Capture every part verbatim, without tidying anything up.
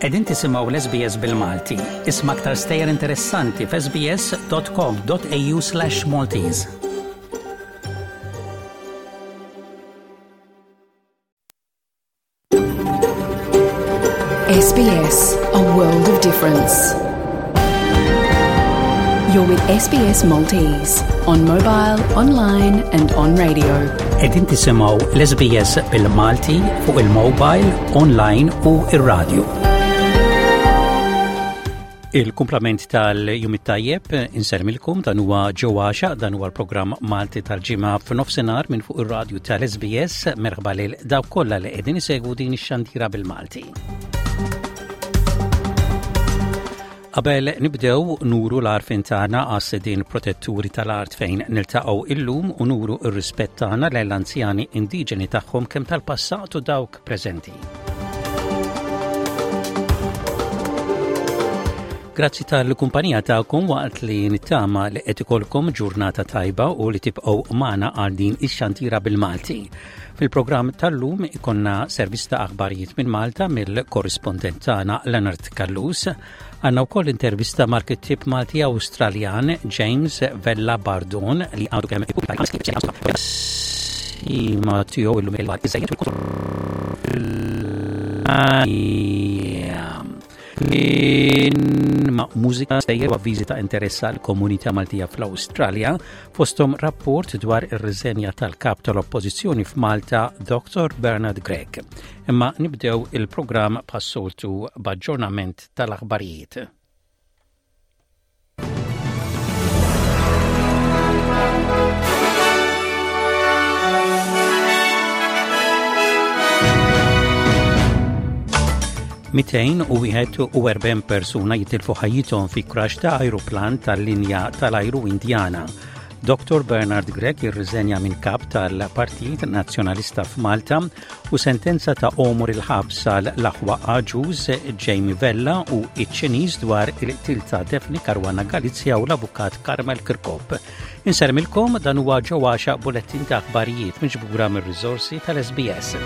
Qegħdin tisimgħu l-SBS bil-Malti. Isma' aktar stejjer interessanti f'sbs.com.au slash Maltese. SBS, a world of difference. You're with SBS Maltese on mobile, online and on radio. Qegħdin tisimgħu l-SBS bil-Malti fuq il-mobile, online u ir-radio. Il-kumplament tal-jum it-tajjeb insellmilkom dan huwa ġewwaxa dan huwa l-programm Malti tal-ġimgħa f'nofsinhar minn fuq ir-radju tal-SBS merħba lil dawk kollha li qegħdin isegwu din ix-xandira bil-Malti. Qabel nibdew nuru l-għarfien tagħna għas-sidien protetturi tal-art fejn niltaqgħu illum u nuru r-rispett tagħna lejn l-anzjani indiġeni tagħhom kemm tal-passat u dawk preżenti. Grazzi tal-kumpanija tagħkom waqt li nittama li qed ikolkom ġurnata tajba u li tibqgħu magħna għal din ix-xantira bil-Malti. Fil-programm tal-lum ikonna servizz ta' aħbarijiet minn Malta mill-korrispondent tagħna Leonard Callus. Għandna wkoll intervista mal-kittieb Malti Awstraljan James Vella Bardon li għadu kemm ma tiegħu illum il ma' mużika stejjer u avviżi ta' interess għal komunità Maltija fl-Awstralja fosthom rapport dwar ir-riżenja tal-kap tal-Oppożizzjoni f'Malta Dr. Bernard Grech. Imma nibdew il-programm bħas-soltu b'aġġornament tal-aħbarijiet. Mitejn u wieħed u erbgħin persuna jitilfu ħajjithom fi crash ta' ajruplan tal-linja tal-ajru Indjana. Dr. Bernard Grech irriżenja minn kap tal-Partit Nazzjonalista f'Malta u sentenza ta' għomor il-ħabs għal l-aħwa Agius Jamie Vella u iċ-Ċiniż dwar il-qtil ta' Daphne Caruana Galizia u l-avukat Carmel Kirkop. Insellmilkom dan huwa ġewwaxa bulettin ta' aħbarijiet miġbura mir-riżorsi tal-SBS.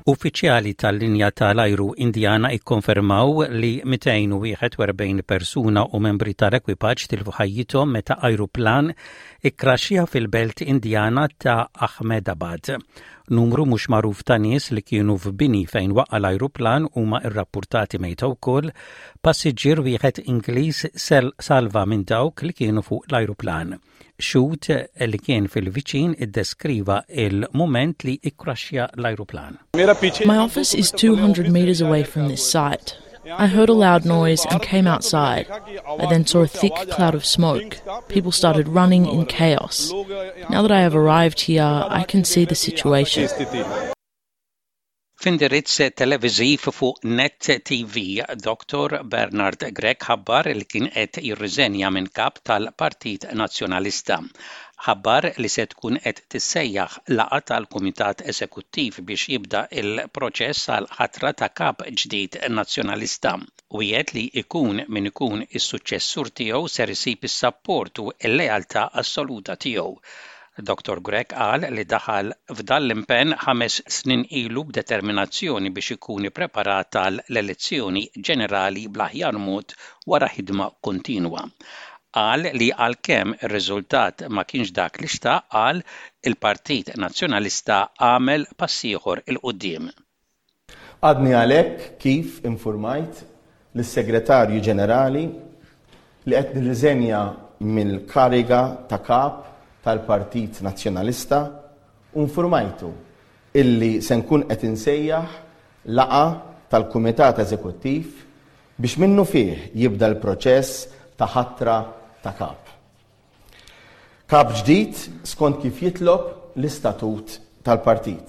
Uffiċjali tal-linja tal-ajru Indjana ikkonfermaw li mitejn u wieħed u erbgħin persuna u membri tal-ekwipaġġ tilfu ħajjithom meta ajruplan ikkraxxja fil-belt Indjana ta' Ahmedabad. Numru mhux magħruf ta' nies li kienu f'bini fejn waqa' l-ajruplan huma rrappurtati mejta wkoll. Passiġġier wieħed Ingliż salva minn dawk li kienu fuq l-ajruplan. Xhud li kien fil-viċin iddeskriva il-moment li ikkraxxja l-ajruplan. My office is two hundred meters away from this site. I heard a loud noise and came outside. I then saw a thick cloud of smoke. People started running in chaos. Now that I have arrived here, I can see the situation. F'indirizz televiżiv fuq Net TV, Dr. Bernard Grech ħabbar li kien qed jirriżenja minn kap tal-Partit Nazzjonalista. Ħabbar li se tkun qed tissejjaħ laqgħa tal-Kumitat Eżekuttiv biex jibda il-proċess għal ħatra ta' kap ġdid nazzjonalista. Wiegħed li ikun min ikun is-suċċessur tiegħu ser isib is-sapport u l-lealtà assoluta tiegħu. Dr. Grech qal li daħal f'dan l-impenn ħames snin ilu b'determinazzjoni biex ikun ippreparat għal l-elezzjoni ġenerali bl-aħjar mod wara ħidma kontinwa. Qal li għalkemm ir-riżultat ma kienx dak li xtaq, qal il-Partit Nazzjonalista għamel pass ieħor 'il quddiem. Għadni għalhekk kif infurmajt lis-Segretarju Ġenerali li qed nirriżenja mill-kariga ta' kap tal-Partit Nazzjonalista u nfurmajtu illi se nkun qed insejjaħ laqgħa tal-Kumitat Eżekuttiv biex minnu fih jibda l-proċess ta' ħatra ta' kap. Kap ġdid skont kif jitlob l-istatut tal-partit.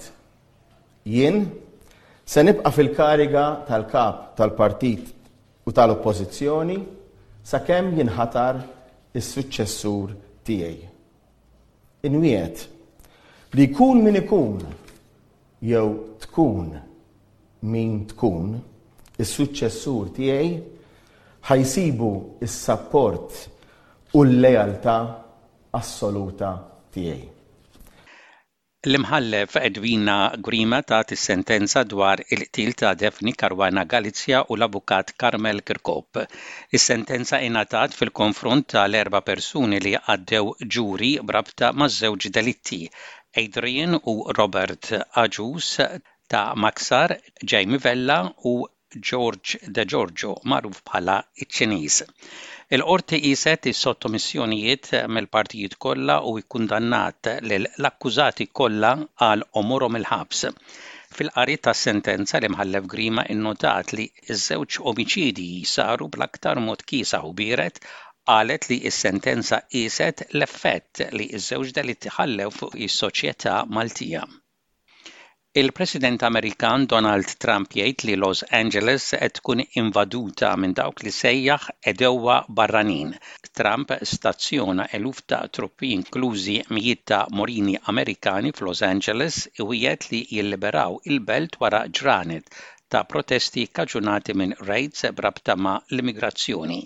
Jien se nibqa' fil-kariga tal-kap tal-partit u tal-oppożizzjoni sakemm jinħatar is-suċċessur tiegħi. Inwiet li jkun min ikun jew tkun min tkun is-suċċessur tiegħi ħajsibu s-sapport u l-lealtà assoluta tiegħi. L-Imħallef Edwina Grima tat is-sentenza dwar il-qtil ta' Daphne Caruana Galizia u l-avukat Carmel Kirkop. Is-sentenza ingħatat fil-konfront tal-erba' persuni li għaddew ġuri b'rabta maż-żewġ delitti, Adrian u Robert Agius ta' Maksar, Jamie Vella u George De Giorgio, magħruf bħala iċ-Ċiniż. Il-qorti qiset is-sottomissjonijiet mill-partijiet kollha u kkundannat lill-akkużati kollha għal għomorhom il-ħabs. Fil-qari tas-sentenza, l-Imħallef Grima innotat li ż-żewġ omiċidji saru bl-aktar mod kiesaħ u biered. Qalet li s-sentenza qiset l-effett li ż-żewġ delitti ħallew fuq is-soċjetà Maltija. Il-President Amerikan Donald Trump jgħid li Los Angeles qed tkun invaduta minn dawk li sejjaħ għedewwa barranin. Trump stazzjona eluf ta' truppi, inklużi mijiet ta' Marini Amerikani, f'Los Angeles u wiegħed li jilliberaw il-belt wara ġranet ta' protesti kkaġunati minn raids b'rabta ma' l-immigrazzjoni.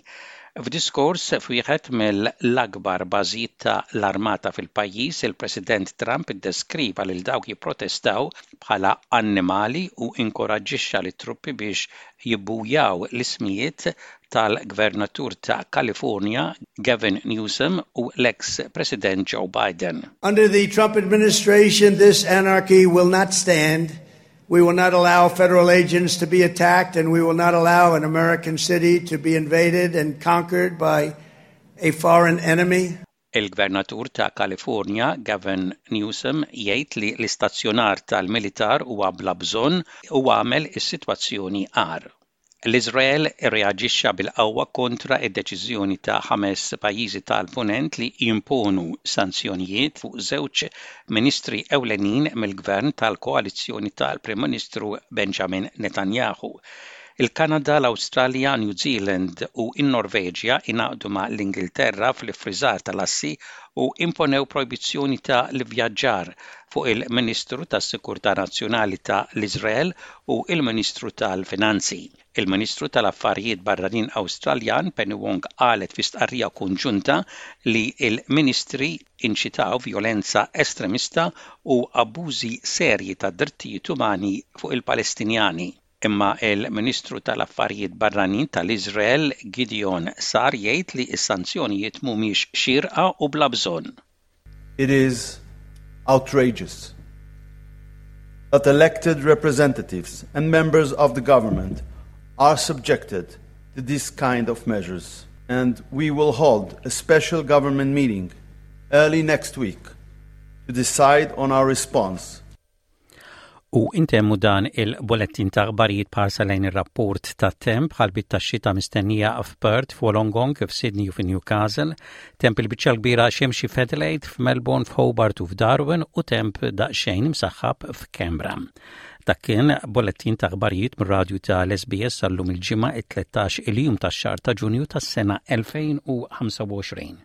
F'diskors f'wieħed mill-akbar bażijiet ta' l-armata fil-pajjiż, il-President Trump iddeskriva lil dawk jipprotestaw bħala annimali u inkoraġġixxa lit-truppi biex jibbujaw l-ismijiet tal-Gvernatur ta' California Gavin Newsom u l-ex President Joe Biden. Under the Trump administration, this anarchy will not stand. We will not allow federal agents to be attacked, and we will not allow an American city to be invaded and conquered by a foreign enemy. Il-Gvernatur ta' California Gavin Newsom jgħid li l-istazzjonar tal-militar huwa bla bżonn u għamel is-sitwazzjoni agħar. L-Iżrael irreaġixxa bil-qawwa kontra id-deċiżjoni ta' ħames pajjiżi tal-Punent li jimponu sanzjonijiet fuq żewġ ministri ewlenin mill-gvern tal-koalizzjoni tal-Prim Ministru Benjamin Netanyahu. Il-Kanada, l-Awstralja, New Zealand u n-Norveġja ingħaqdu ma' l-Ingilterra fl-iffriżar tal-assi u imponew projbizzjoni ta' l-ivvjaġġar fuq il-Ministru tas-Sikurtà Nazzjonali ta' l-Iżrael u il-Ministru tal-Finanzi. Il-Ministru tal-Affarijiet Barranin Awstraljan Penny Wong qalet fi stqarrija konġunta li il-ministri inċitaw violenza estremista u abbużi serji ta' drittijiet umani fuq il-Palestinjani. Imma il-Ministru tal-Affarijiet Barranin tal-Iżrael Gideon Saar jgħid li s-sanzjonijiet mhumiex xirqa u bla bżonn. It is outrageous that elected representatives and members of the government are subjected to this kind of measures. And we will hold a special government meeting early next week to decide on our response. U intemmu dan il-bullettin ta' aħbarijiet b'ħarsa lejn ir-rapport ta' temp: ħalbiet ta' xita mistennija f'Perth, f'Wollongong, f'Sydney u f'Newcastle, temp il-biċċa kbira xemxi f'Adelaide, f'Melbourne, f'Hobart u f'Darwin u temp daqsxejn imsaħħab f'Canberra. Dak kien bullettin ta' aħbarijiet mir-radju ta' l-S B S għal-lum il-Ġimgħa, it-tlettax il-jum tax-xahar ta' Ġunju tas-sena elfejn u ħamsa u għoxrin.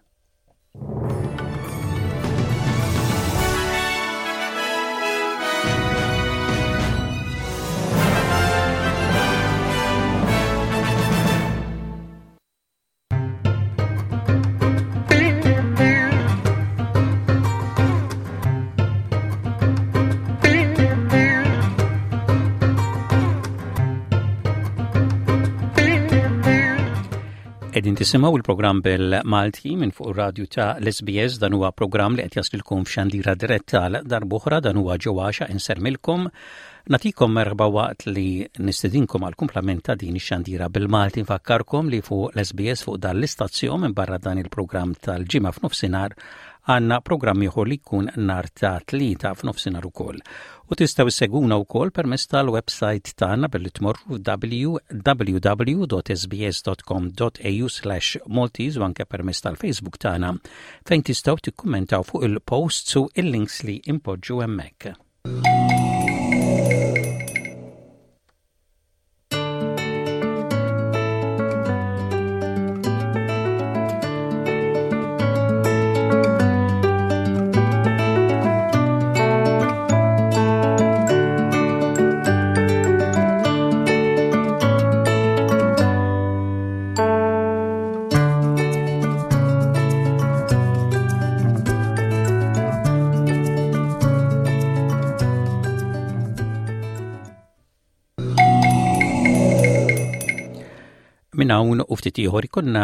Qegħdin tisimgħu il-programm bil-Malti minn fuq ir-radju ta' l-S B S. Dan huwa programm li qed jaslilkom f'xandira diretta għal darb'oħra. Dan huwa ġewwaxa insellmilkom, nagħtikom merħba waqt li nistedinkom għal kumplament ta' din ix-xandira bil-Malti. Nfakkarkom li fuq l-S B S, fuq dan l-istazzjon, minn barra dan il-programm tal-Ġimgħa f'nofsinhar, għandna programm ieħor li jkun nhar ta' Tlieta f'nofsinhar ukoll. U tistgħu ssegwuna wkoll permezz tal-website tagħna billi tmorru w w w dot s b s dot com dot a u slash Maltese u anke permezz tal-Facebook tagħna, fejn tistgħu tikkummentaw fuq il-posts u il-links li impoġġu hemmhekk. Minn hawn u ftit ieħor ikollna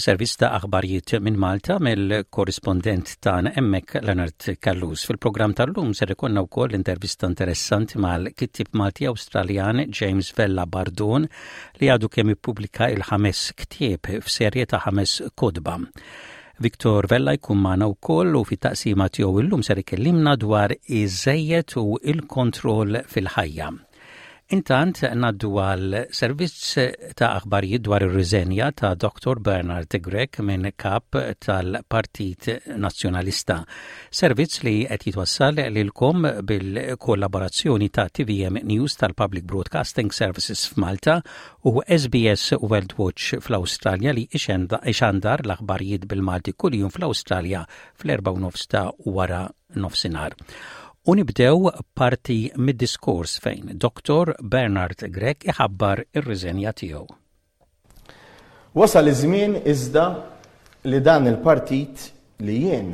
servizz ta' aħbarijiet minn Malta mill-korrispondent tagħna hemmhekk Leonard Callus. Fil-programm tal-lum ser ikollna wkoll intervista interessanti mal-kittib Malti Awstraljan James Vella Bardon li għadu kemm ippubblika il-ħames ktieb f'serje ta' ħames kotba. Victor Vella jkun magħna wkoll u fit-taqsima tiegħu illum ser ikellimna dwar iż-żejjed u il-kontroll fil-ħajja. Intant ngħaddu għal servizz ta' aħbarijiet dwar ir-riżenja ta' Dr. Bernard Grech minn kap tal-Partit Nazzjonalista. Servizz li qed jitwassal lilkom bil-kollaborazzjoni ta' TVM News tal-Public Broadcasting Services f'Malta u SBS World Watch fl-Awstralja li ixandar l-aħbarijiet bil-Malti kuljum fl-Awstralja fl-erba' nofs ta' wara nofsinhar. U nibdew parti mid-diskors fejn Dr. Bernard Grech iħabbar ir-riżenja tiegħu. Wasal iż-żmien iżda li dan il-partit li jien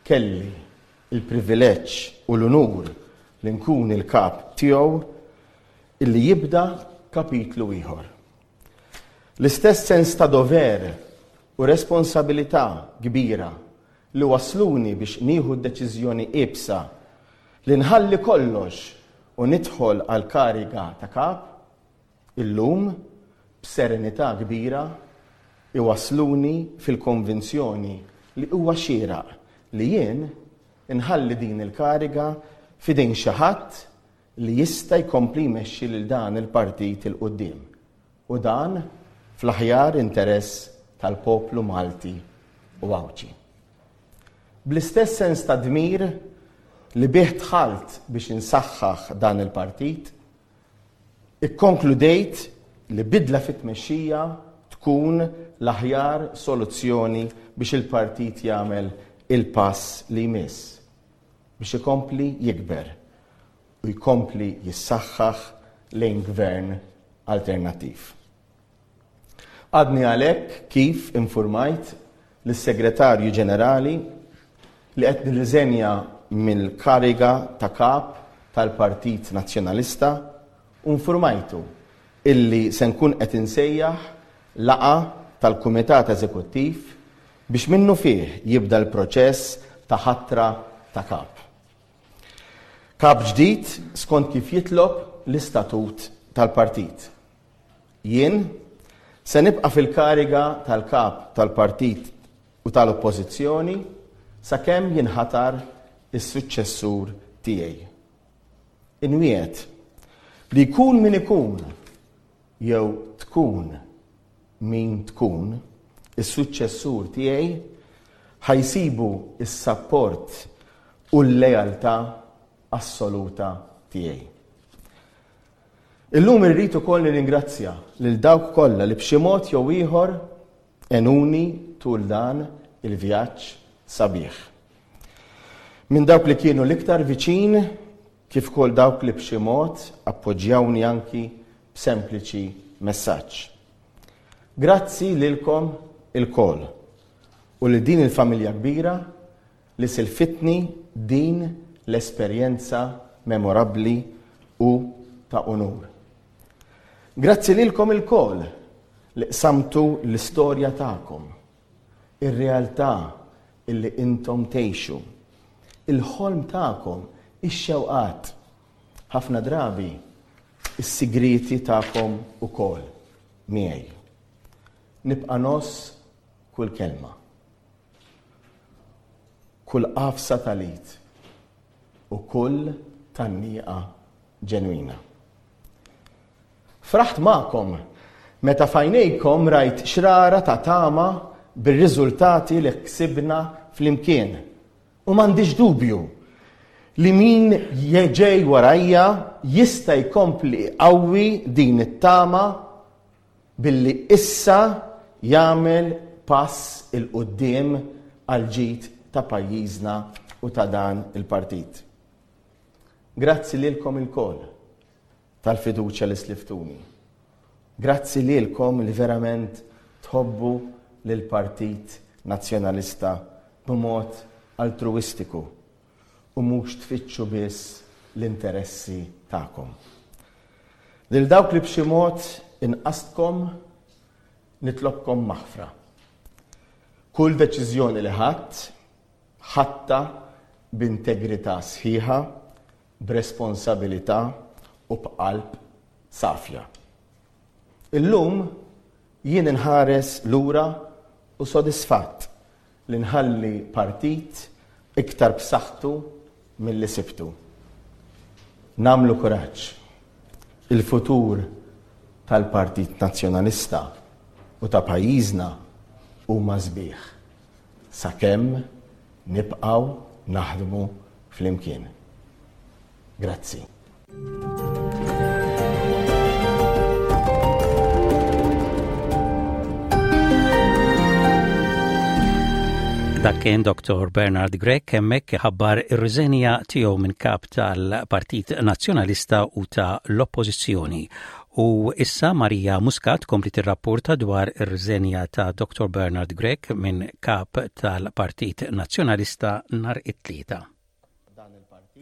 kelli il-privileġġ u l-unur li nkun il-kap tiegħu illi jibda kapitlu ieħor. L-istess sens ta' dover u responsabilità kbira li wasluni biex nieħu d-deċiżjoni iebsa li nħalli kollox u nidħol għal kariga ta' kap, illum b'serenità kbira iwasluni fil-konvinzjoni li huwa xieraq li jien inħalli din il-kariga f'idejn xi ħadd li jista' jkompli jmexxi lil dan il-partit 'il quddiem. U dan fl-aħjar interess tal-poplu Malti u Għawdxi. Bl-istess sens ta' dmir li bih dħalt biex insaħħaħ dan il-partit, ikkonkludejt li bidla fit-tmexxija tkun l-aħjar soluzzjoni biex il-partit jagħmel il-pass li jmiss biex ikompli jikber u jkompli jissaħħaħ lejn gvern alternattiv. Għadni għalhekk kif informajt lis-Segretarju Ġenerali li qed nirriżenja mill-kariga ta' kap tal-Partit Nazzjonalista u informajtu illi se nkun qed insejjaħ laqgħa tal-Kumitat Eżekuttiv biex minnu fih jibda l-proċess ta' ħatra ta' kap. Kap ġdid skont kif jitlob l-istatut tal-partit. Jien se nibqa' fil-kariga tal-kap tal-partit u tal-oppożizzjoni sakemm jinħatar is-suċċessur tiegħi. Inwiegħed li jkun min ikun jew tkun min tkun is-suċċessur tiegħi ħa jsibu is-sapport u l-lealtà assoluta tiegħi. Illum irrid ukoll nirringrazzja lil dawk kollha li b'xi mod jew ieħor għenuni tul dan il-vjaġġ sabiħ. Minn dawk li kienu l-iktar viċin kif ukoll dawk li b'xi mod appoġġjawni anki b'sempliċi messaġġ. Grazzi lilkom ilkoll u li din il-familja kbira li silfitni din l-esperjenza memorabbli u ta' unur. Grazzi lilkom ilkoll li qsamtu l-istorja tagħkom, ir-realtà illi intom tgħixu, il-ħolm tagħkom, ix-xewqat, ħafna drabi is-sigriti tagħkom ukoll miegħi. Nibqa' ngħożż kull kelma, kull għafsa tal-id u kull tgħanniqa ġenwina. Fraħt magħkom meta f'għajnejkom rajt xrara ta' tama bir-riżultati li ksibna flimkien. U m'għandix dubju li min ġej warajja jista' jkompli qawwi din it-tama billi issa jagħmel pass 'il quddiem għal ġid ta' pajjiżna u ta' dan il-partit. Grazzi lilkom ilkoll tal-fiduċja li sliftuni. Grazzi lilkom li verament tħobbu lill-Partit Nazzjonalista b'mod altruistiku u mhux tfittxu biss l-interessi tagħkom. Lil dawk li b'xi mod inqastkom nitlobkom maħfra. Kull deċiżjoni li ħadt, ħadtha b'integrità sħiħa, b'responsabilità u b'qalb safja. Illum jien inħares lura u sodisfatt li nħalli partit iktar b'saħħtu milli sibtu. Nagħmlu kuraġġ. Il-futur tal-Partit Nazzjonalista u ta' pajjiżna huma sbieħ sakemm nibqgħu naħdmu flimkien. Grazzi. Dak kien Dottor Bernard Grech hemmhekk ħabbar ir-riżenja tiegħu minn kap tal-Partit Nazzjonalista u ta' l-Oppożizzjoni. U issa Maria Muscat kompli tirrapporta dwar ir-riżenja ta' Dottor Bernard Grech minn kap tal-Partit Nazzjonalista nhar it-Tlieta.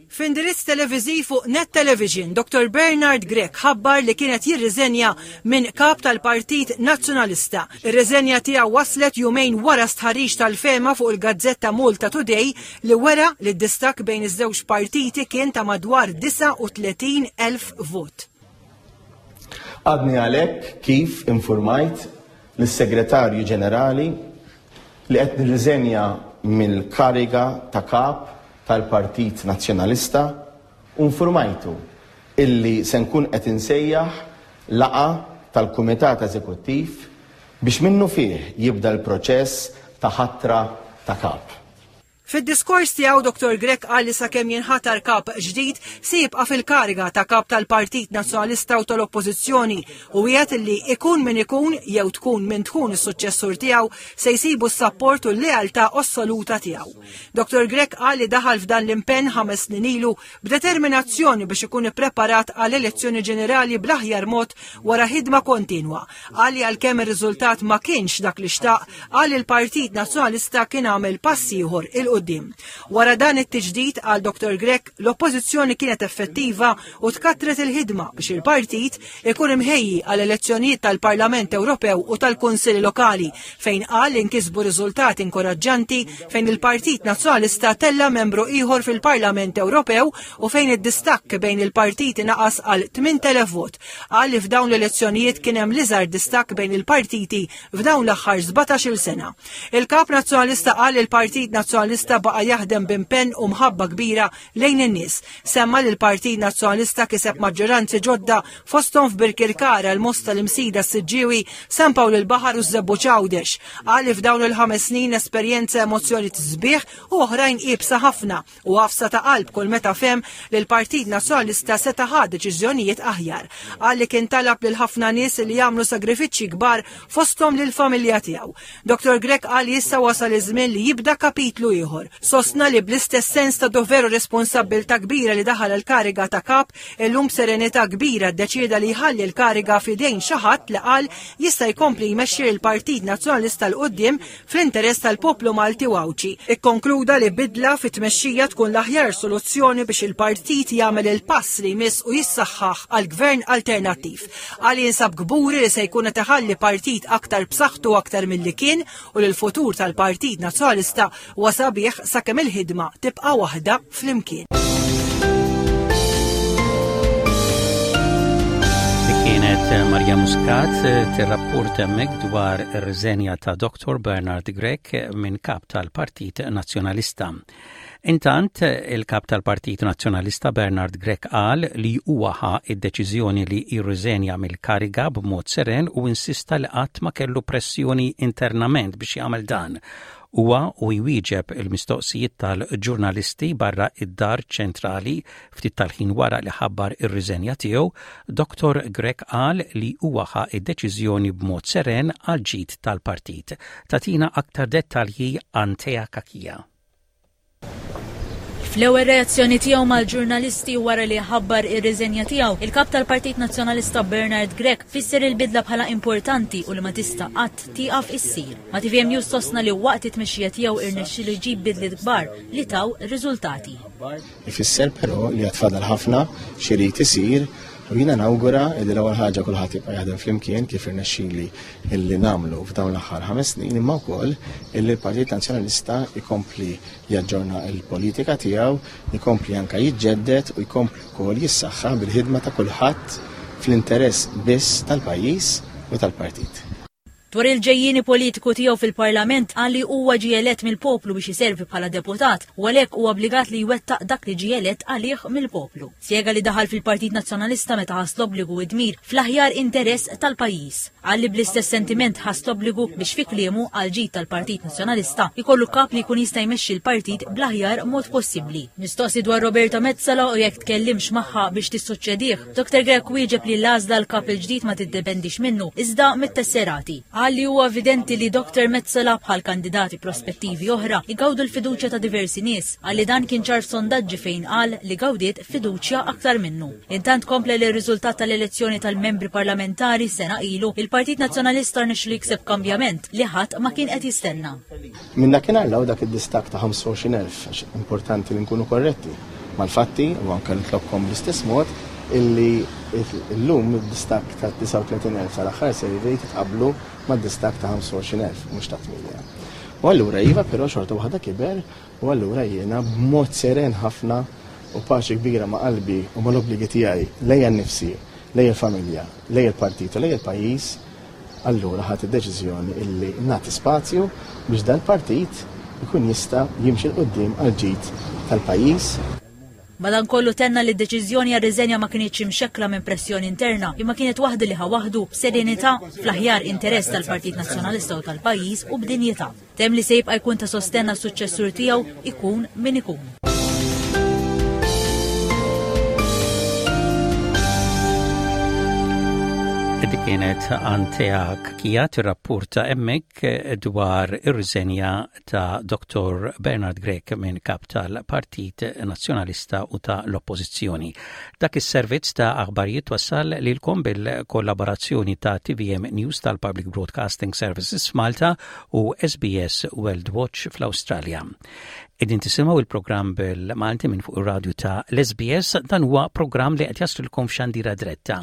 F'indirizz televiżiv fuq Net Television, Dottor Bernard Grech ħabbar li kienet jirriżenja minn kap tal-Partit Nazzjonalista. Ir-riżenja tiegħu waslet jumejn wara stħarriġ tal-fehma fuq il-gazzetta Malta Today li wera li d-distakk bejn iż-żewġ partiti kien ta' madwar disgħa u tletin elf vot. Għadni għalhekk kif informajt lis-Segretarju Ġenerali li qed nirriżenja mill-kariga ta' kap tal-Partit Nazzjonalista u informajtu illi se nkun qed insejjaħ laqgħa tal-Kumitat Eżekuttiv biex minnufih jibda l-proċess ta' ħatra ta' kap. Fid-diskors tiegħu Dottor Grech qal li sakemm jinħatar kap ġdid se jibqa' fil-kariga ta' kap tal-Partit Nazzjonalista u tal-Oppożizzjoni u wiegħed li ikun min ikun jew tkun min tkun is-suċċessur tiegħu se jsibu s-sapport u l-lealtà assoluta tiegħu. Dottor Grech qal li daħal f'dan l-impenn ħames snin ilu b'determinazzjoni biex ikun ippreparat għal elezzjoni ġenerali bl-aħjar mod wara ħidma kontinwa. Qal li għalkemm ir-riżultat ma kienx dak li xtaq, qal li l-Partit Nazzjonalista kien għamel pass ieħor 'il quddiem. Wara dan it-tiġdid għal Dottor Grech, l-oppożizzjoni kienet effettiva u tkattret il-ħidma biex il-partit ikun imħejji għal elezzjonijiet tal-Parlament Ewropew u tal-Kunsilli Lokali fejn qal li nkisbu riżultati inkoraġġanti fejn il-Partit Nazzjonalista tella membru ieħor fil-Parlament Ewropew u fejn id-distakk bejn il-partiti naqas għal tmint elef vot. Qal li f'dawn l-elezzjonijiet kien hemm l-iżgħar distakk bejn il-partiti f'dawn l-aħħar sbatax-il sena. Il-kap Nazzjonalista qal li l-Partit Nazzjonalista baqa' jaħdem b'impenn u mħabba kbira lejn in-nies. Semma li l-Partit Nazzjonalista kiseb maġġoranzi ġodda fosthom f'Birkirkara, l-Mosta, l-Imsida, s-Siġġiewi, San Pawl il-Baħar u Żebbuġ Għawdex. Qal li f'dawn il-ħames snin esperjenza emozzjoni sbieħ u oħrajn iebsa ħafna u għafsa ta' qalb kull meta fehem li l-Partit Nazzjonalista seta' ħa deċiżjonijiet aħjar. Qal li kien talab lil ħafna nies li jagħmlu sagrifiċċji kbar fosthom lil familja tiegħu. Dottor Grech qal li issa wasal iż-żmien li jibda kapitlu ieħor. Sostna li bl-istess sens ta' dover u responsabbiltà kbira li daħal il-kariga ta' kap, illum serenità kbira ddeċieda li jħalli l-kariga f'idejn xi ħadd li qal jista' jkompli jmexxi l-Partit Nazzjonalista 'l quddiem fl-interess tal-poplu Malti u Għawdxi. Ikkonkluda li bidla fit-tmexxija tkun l-aħjar soluzzjoni biex il-partit jagħmel il-pass li jmiss u jissaħħaħ għal gvern alternattiv. Qal jinsab kburi li se jkun qed iħalli partit aktar b'saħħtu aktar milli kien u li l-futur tal-Partit Nazzjonalista huwa sabiħ sakemm il-ħidma tibqa' waħda flimkien. Kienet Maria Muscat tirrapport hemmhekk dwar ir-riżenja ta' Dottor Bernard Grech minn kap tal-Partit Nazzjonalista. Intant, il-kap tal-Partit Nazzjonalista Bernard Grech qal li huwa ħa id-deċiżjoni li jirriżenja mill-kariga b'mod seren u insista li qatt ma kellu pressjoni internament biex jagħmel dan. Huwa u jwieġeb il-mistoqsijiet tal-ġurnalisti barra id-dar ċentrali ftit tal-ħin wara li ħabbar ir-riżenja tiegħu, Dottor Grech qal li huwa ħa id-deċiżjoni b'mod seren għal ġid tal-partit. Tagħtina aktar dettalji Antea Cachia. Fl-ewwel reazzjoni tiegħu mal-ġurnalisti wara li ħabbar ir-riżenja tiegħu, il-kap tal-Partit Nazzjonalista Bernard Grech fisser il-bidla bħala importanti u li ma tista' qatt tieqaf issir. Ma' T V M News sostna li waqt it-tmexxija tiegħu irnexxielu jġib bidliet kbar li taw riżultati. Ifisser però li għad fadal ħafna x'irid isir U jiena nawgura li l-ewwel ħaġa kulħadd jibqa' jaħdem flimkien kif irnexxieli illi nagħmlu f'dawn l-aħħar ħames snin, imma wkoll illi l-Partit Nazzjonalista jkompli jaġġorna l-politika tiegħu, jkompli anke jiġġedded u jkompli wkoll jissaħħa bil-ħidma ta' kulħadd fl-interess biss tal-pajjiż u tal-partit. Dwar il-ġejjieni politiku tiegħu fil-Parlament qal li huwa ġie elett mill-poplu biex iservi bħala deputat u għalhekk huwa obbligat li jwettaq dak li ġie elett għalih mill-poplu. Spjega li daħal fil-Partit Nazzjonalista meta ħass l-obbligu u dmir fl-aħjar interess tal-pajjiż. Qal li bl-istess sentiment ħass l-obbligu biex fi kliemu għal ġid tal-Partit Nazzjonalista jkollu kap li jkun jista' jmexxi l-partit bl-aħjar mod possibbli. Mistoqsi dwar Roberta Metsola u jekk tkellimx magħha biex tissuċċedih, Doktor Grech wieġeb li l-għażla l-kap il-ġdid ma tiddependix minnu iżda mit-tesserati. Qal li huwa evidenti li Doktor Metsola bħal kandidati prospettivi oħra igawdu l-fiduċja ta' diversi nies, qal li dan kien ċar sondaġġi fejn qal li gawdiet fiduċja aktar minnu. Intant kompla li r-riżultat tal-elezzjoni tal-membri parlamentari sena ilu, il-Partit Nazzjonalista rnexxielu jikseb kambjament li ħadd ma kien qed jistenna. Minn dakinhar 'l hawn dak id-distakk ta' ħamsa u għoxrin elf, għax importanti li nkunu korretti mal-fatti u anke nitlobkom bl-istess mod illi illum id-distakk ta' disgħa u tletin elf tal-aħħar survey titqablu mad-distakk ta' ħamsa u għoxrin elf, mhux ta' tmienja. U allura iva, però xorta waħda kiber, u allura jiena b'mod seren ħafna u paċi kbira ma' qalbi u mal-obbligi tiegħi lejja nnifsi, lejja l-familja, lejja l-partit u lejja l-pajjiż, allura ħadt id-deċiżjoni illi nagħti spazju biex dal-partit ikun jista' jimxi 'l quddiem għal ġid tal-pajjiż. Madankollu tenna li d-deċiżjoni għar-riżenja ma kinitx imxekkla minn pressjoni interna, imma kienet waħda li ħa waħdu b'serenità fl-aħjar interess tal-Partit Nazzjonalista u tal-pajjiż u b'dinjità. Temm li se jibqa' jkun ta' sostenn għas-suċċessur tiegħu ikun min ikun. Dik kienet Antea Cachia tirrapporta hemmhekk dwar ir-riżenja ta' Doktor Bernard Grech minn kap tal-Partit Nazzjonalista u ta' l-Oppożizzjoni. Dak is-servizz ta' aħbarijiet wassal lilkom bil-kollaborazzjoni ta' T V M News tal-Public Broadcasting Services f'Malta u S B S World Watch fl-Awstralja. Qegħdin tisimgħu il-programm bil-Malti minn fuq ir-radju ta' l-S B S, dan huwa programm li qed jaslilkom f'xandira diretta.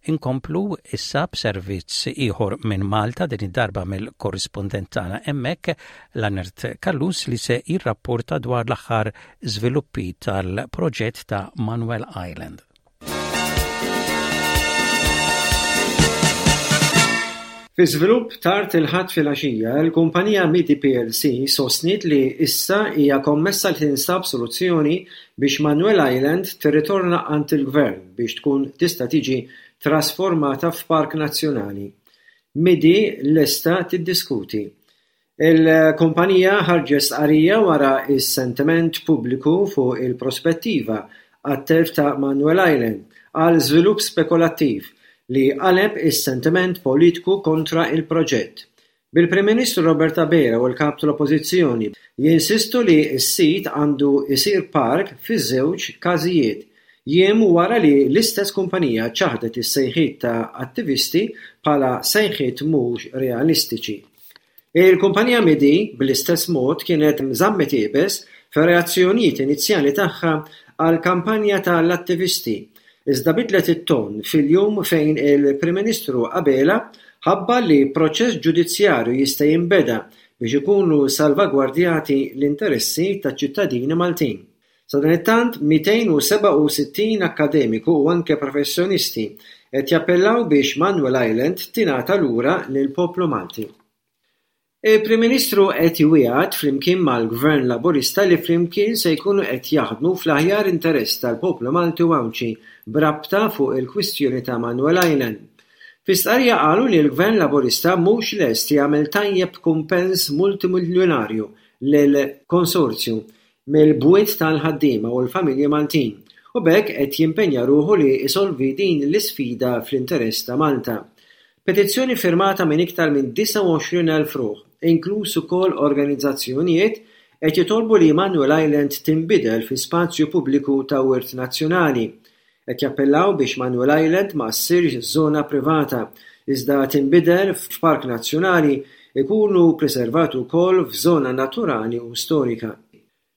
Inkomplu issa b'servizz ieħor minn Malta, din id-darba mill-korrispondent tagħna hemmhekk, Leonard Callus, li se jirrapporta dwar l-aħħar żviluppi tal-proġett ta' Manuel Island. Fi żvilupp tard il-Ħadd filgħaxija, il-kumpanija Midi P L C sostniet li issa hija kommessa li tinsab soluzzjoni biex Manuel Island tirritorna għand il-Gvern biex tkun tista' tiġi trasformata f'Park Nazzjonali. Midi lesta tiddiskuti. Il-kumpanija ħarġet stqarrija wara s-sentiment pubbliku fuq il-prospettiva għat-telf ta' Manuel Island għal żvilupp spekulattiv li qaleb is-sentiment politiku kontra il-proġett. Bil-Prim Ministru Robert Abela u l-Kap tal-Oppożizzjoni jinsistu li s-sit għandu jsir park fiż-żewġ każijiet, jiem wara li l-istess kumpanija ċaħdet is-sejħiet ta' attivisti bħala sejħiet mhux realistiċi. Il-kumpanija Midi bl-istess mod kienet żammet iebes fir-reazzjonijiet inizjali tagħha għal kampanja tal-attivisti, iżda bidlet it-ton fil-jum fejn il-Prim Ministru Abela ħabbar li proċess ġudizzjarju jista' jinbeda biex ikunu salvagwardjati l-interessi taċ-ċittadini Maltin. Sadanittant, mitejn u sebgħa u sittin akademiku u anke professjonisti qed jappellaw biex Manuel Island tingħata lura lill-poplu Malti. Il-Prim Ministru qed jwiegħed flimkien mal-Gvern Laburista li flimkien se jkunu qed jaħdmu fl-aħjar interess tal-poplu Malti u Għawdxi b'rabta fuq il-kwistjoni ta' Manuel Island. Fi stqarrija qalu li l-Gvern Laburista mhux lest jagħmel tajjeb kumpens multimiljonarju lil konsorzju mill-bwiet tal-ħaddiema u l-familji Maltin u b'hekk qed jimpenja ruħu li jsolvi din l-isfida fl-interess ta' Malta. Petizzjoni firmata minn iktar minn disgħa u għoxrin elf ruħ, inkluż ukoll organizzazzjonijiet, qed jitolbu li Manuel Island tinbidel fi spazju pubbliku ta' wirt nazzjonali. Qed jappellaw biex Manuel Island ma ssirx żona privata, iżda tinbidel f'park nazzjonali ikunu preservati wkoll f'żona naturali u storika.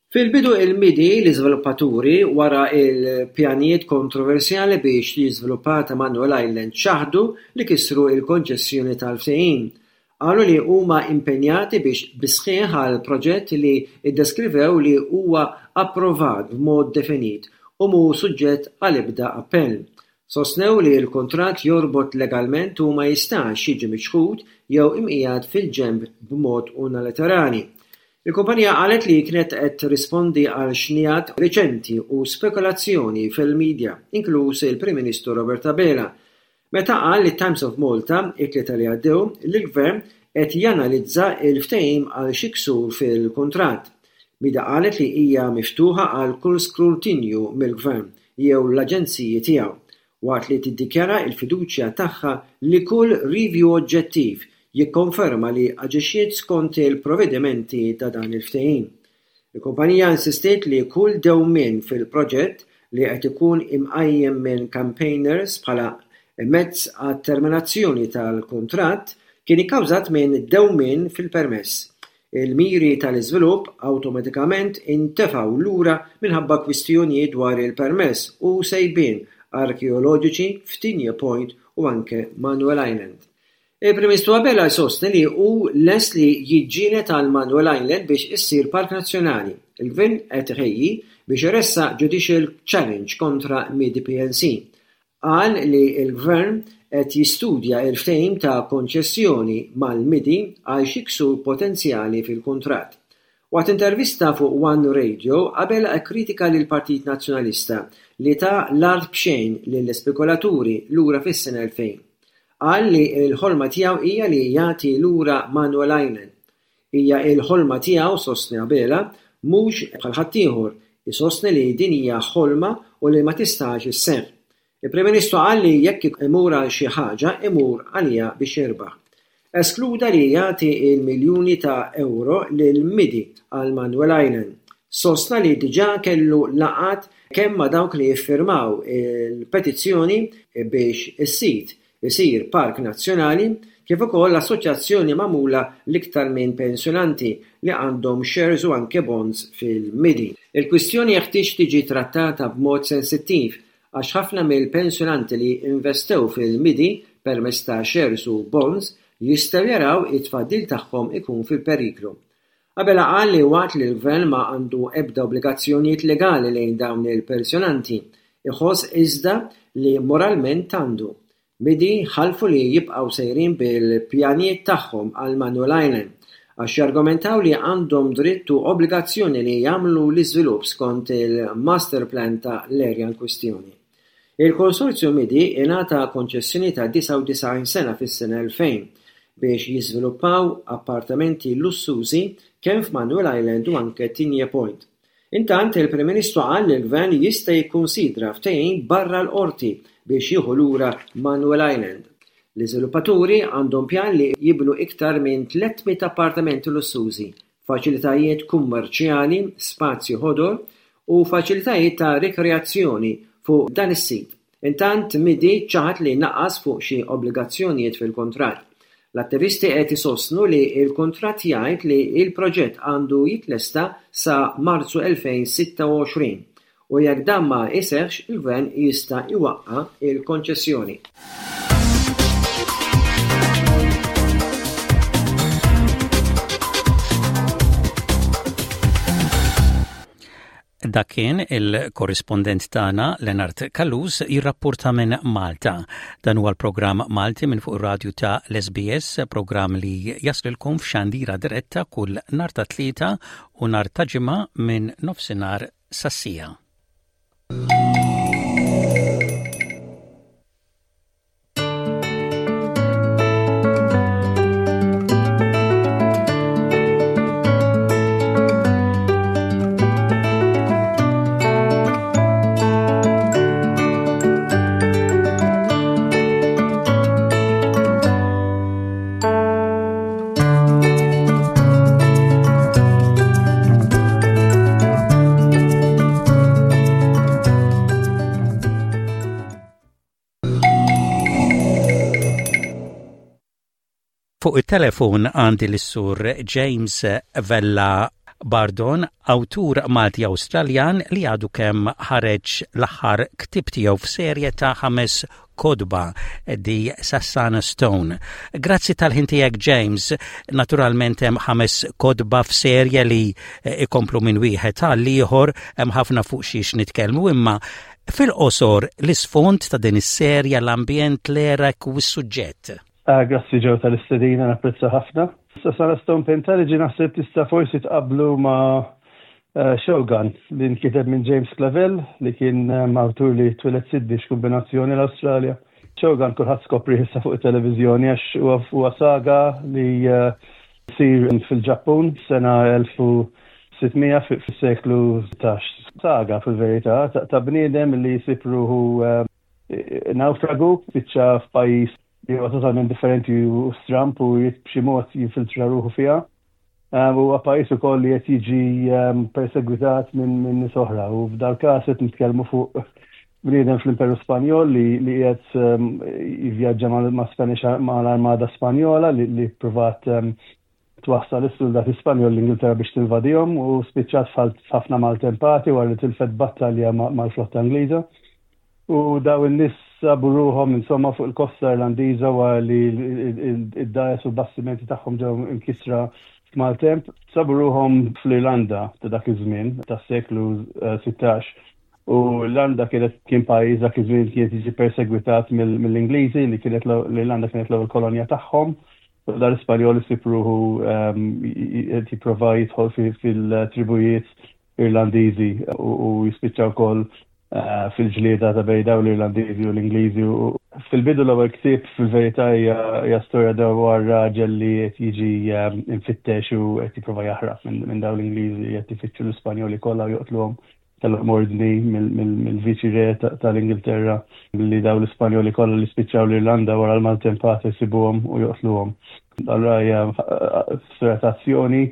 Fil-bidu il-M I D I, l-iżviluppaturi wara il-pjanijiet kontroversjali biex tiġi żviluppata Manuel Island, ċaħdu li kisru il-konċessjoni tal-ftehim. Qalu li huma impenjati biex bisħieħ għal proġett li iddeskrivew li huwa approvat b'mod definit u mhu suġġett għal ebda appell. Sostnew li l-kuntratt jorbot legalment u ma jistax jiġi miċħud jew imqiegħed fil-ġenb b'mod unilaterali. Il-kumpanija qalet li kienet qed tirrispondi għal xnigħat riċenti u spekulazzjoni fil-medja, inkluż il-Prim Ministru Robert Abela, meta qal li Times of Malta it-Tlieta li għaddew li l-gvern qed janalizza il-ftehim għal xi ksur fil-kuntratt. M I D I qalet li hija miftuħa għal kull skrutinju mill-gvern jew l-aġenziji tiegħu, waqt li tiddikjara l-fiduċja tagħha li kull review oġġettiv jikkonferma li aġixxiet skont il-provvedimenti ta' dan il-ftehim. Il-kumpanija insistiet li kull dewmien fil-proġett li qed ikun imqajjem minn campaigners bħala mezz għat-terminazzjoni tal-kuntratt kien ikkawżat minn dewmien fil-permess. Il-miri tal-iżvilupp awtomatikament intefgħu lura minħabba kwistjonijiet dwar il-permess u sejbien arkeoloġiċi f'Tigné Point u anke Manuel Island. Il-Prim Ministru Abela jsostni li hu lest li jiġġieled għal Manuel Island biex issir Park Nazzjonali. Il-Gvern qed iħejji biex iressaq judicial challenge kontra M I D I P L C. Qal li l-Gvern qed jistudja il-ftehim ta' konċessjoni mal-M I D I għal xi ksur potenzjali fil-kuntratt. Waqt intervista fuq One Radio, Abela kkritika lill-Partit Nazzjonalista li ta l-art b'xejn lill-ispekulaturi lura fis-sena elfejn. Qal li l-ħolma tiegħu hija li jagħti lura Manuel Island. Hija l-ħolma tiegħu, sostni Abela, mhux bħal ħaddieħor, isostni li din hija ħolma u li ma tistax isseħħ. Il-Prim Ministru qal li jekk imur għal xi ħaġa, imur għaliha biex jirbaħ. Eskluda li jagħti il-miljuni ta' euro lil M I D I għal Manuel Island. Sostna li diġà kellu laqgħat kemm ma' dawk li jiffirmaw il-petizzjoni biex is-sit isir Park Nazzjonali kif ukoll l-assoċjazzjoni magħmula l-iktar minn pensjonanti li għandhom shares u anke bonds fil-M I D I. Il-kwistjoni jeħtieġ tiġi trattata b'mod sensittiv għax ħafna mill-pensjonanti li investew fil-M I D I permezz ta' shares u bonds jistgħu jaraw it-tfaddil tagħhom ikun fil-periklu. Abela qal li waqt li l-gvern ma għandu ebda obbligazzjonijiet legali lejn dawn il-pensjonanti, iħoss iżda li moralment għandu. M I D I ħalfu li jibqgħu sejrin bil-pjanijiet tagħhom għal Manuel Island għax jargumentaw li għandhom dritt u obbligazzjoni li jagħmlu l-iżvilupp skont il-master plan ta' l-area in kwistjoni. Il-konsorzju M I D I ingħata konċessjoni ta' disgħa u disgħin sena fis-sena elfejn biex jiżviluppaw appartamenti lussużi kemm f'Manuel Island u anke Tigné Point. Intant il-Prim Ministru qal li l-Gvern jista' jikkunsidra ftehim barra l-qorti biex jieħu lura Manuel Island. L-iżviluppaturi għandhom pjan li jibnu iktar minn tliet mitt appartamenti lussużi, faċilitajiet kummerċjali, spazji ħodor u faċilitajiet ta' rikreazzjoni fuq dan is-sit. Intant M I D I ċaħad li naqas fuq xi obbligazzjonijiet fil-kuntratt. L-attivisti qed isostnu li l-kuntratt jgħid li l-proġett għandu jitlesta sa Marzu elfejn sitta u għoxrin u jekk dan ma jseħħx, il-gvern jista' iwaqqa' il-konċessjoni. Dak kien il-korrispondent tagħna Leonard Callus jirrapporta minn Malta. Dan huwa l-programm Malti minn fuq ir-radju ta' l-S B S, programm li jaslilkom f'xandira diretta kull nhar ta' Tlieta u nhar ta' Ġimgħa minn nofsinhar sas-siegħa. Fuq il-telefon għandi l-sur James Vella Bardon, awtur Malti Awstraljan li għadu kemm ħareġ l-aħħar ktieb tiegħu f'serje ta' ħames kotba, The Sasana Stone. Grazzi tal-ħin tiegħek, James. Naturalment hemm ħames kotba f'serje li ikomplu minn wieħed għal ieħor, hemm ħafna fuq xiex nitkellmu, imma fil-qosor l-isfond ta' din is-serja, l-ambjent, l-era u s-suġġett. Ah, grazzi Joe tal-istedina, napprezza ħafna. Sasana Stone Pentalogy naħseb tista' forsi tqablu ma' uh, Shogun li nkiteb minn James Clavell, li kien um, awtur li twieled Sydney, x'kombinazzjoni, l-Awstralja. Shogun kulħadd skopri issa fuq it-televiżjoni għax huwa saga li uh, sir fil-Ġappun sena elf u sitt mija fis-seklu sittax. Saga fil-verità ta' bniedem li jsib ruħu uh, naufragu, spiċċa f'pajjiż li huwa totalment differenti u stramp u b'xi mod jinfiltra ruħu fiha. Huwa pajjiż ukoll li qed jiġi persegwitat minn minn nies oħra u f'dal każ qed nitkellmu fuq bniedem fl-Imperu Spanjol li li qiegħed jivvjaġġa ma' Spanish ma' l-Armada Spanjola li, li provat twassal is-soldati Spanjol l-Ingilterra biex tinvadihom u spiċċat f'ħafna maltempati wara li tilfet battalja mal-flotta Ingliża. U daw in-nies sabu ruħhom insomma fuq il-kosta Irlandiża wara li id-dgħajjes u bastimenti tagħhom ġew imkisra f'maltemp. Sabu ruħhom fl-Irlanda ta' dak iż-żmien tas-seklu sittax. U l-Irlanda kienet kien pajjiż dak iż-żmien kienet jiġi persegwitat mill-Ingliżi, li kienet l-Irlanda kienet l-ewwel kolonja tagħhom. U dar Ispanjol isib ruħu jipprova jidħol fil-tribujiet Irlandiżi u jispiċċa wkoll fil-ġlieda ta' bejn daw l-Irlandiżi u l-Ingliżi. Fil-bidu l-ewwel ktieb fil-verità hija storja dwar raġel li qed jiġi infittex u qed jipprova jaħrab minn daw l-Ingliżi qed ifittxu l-Ispanjoli kollha u joqtluhom. Kellhom ordni mill-Viċi Re tal-Ingilterra li daw l-Ispanjoli kollha li spiċċaw l-Irlanda wara l-maltempata jsibuhom u joqtluhom. Allura hija storja ta' azzjoni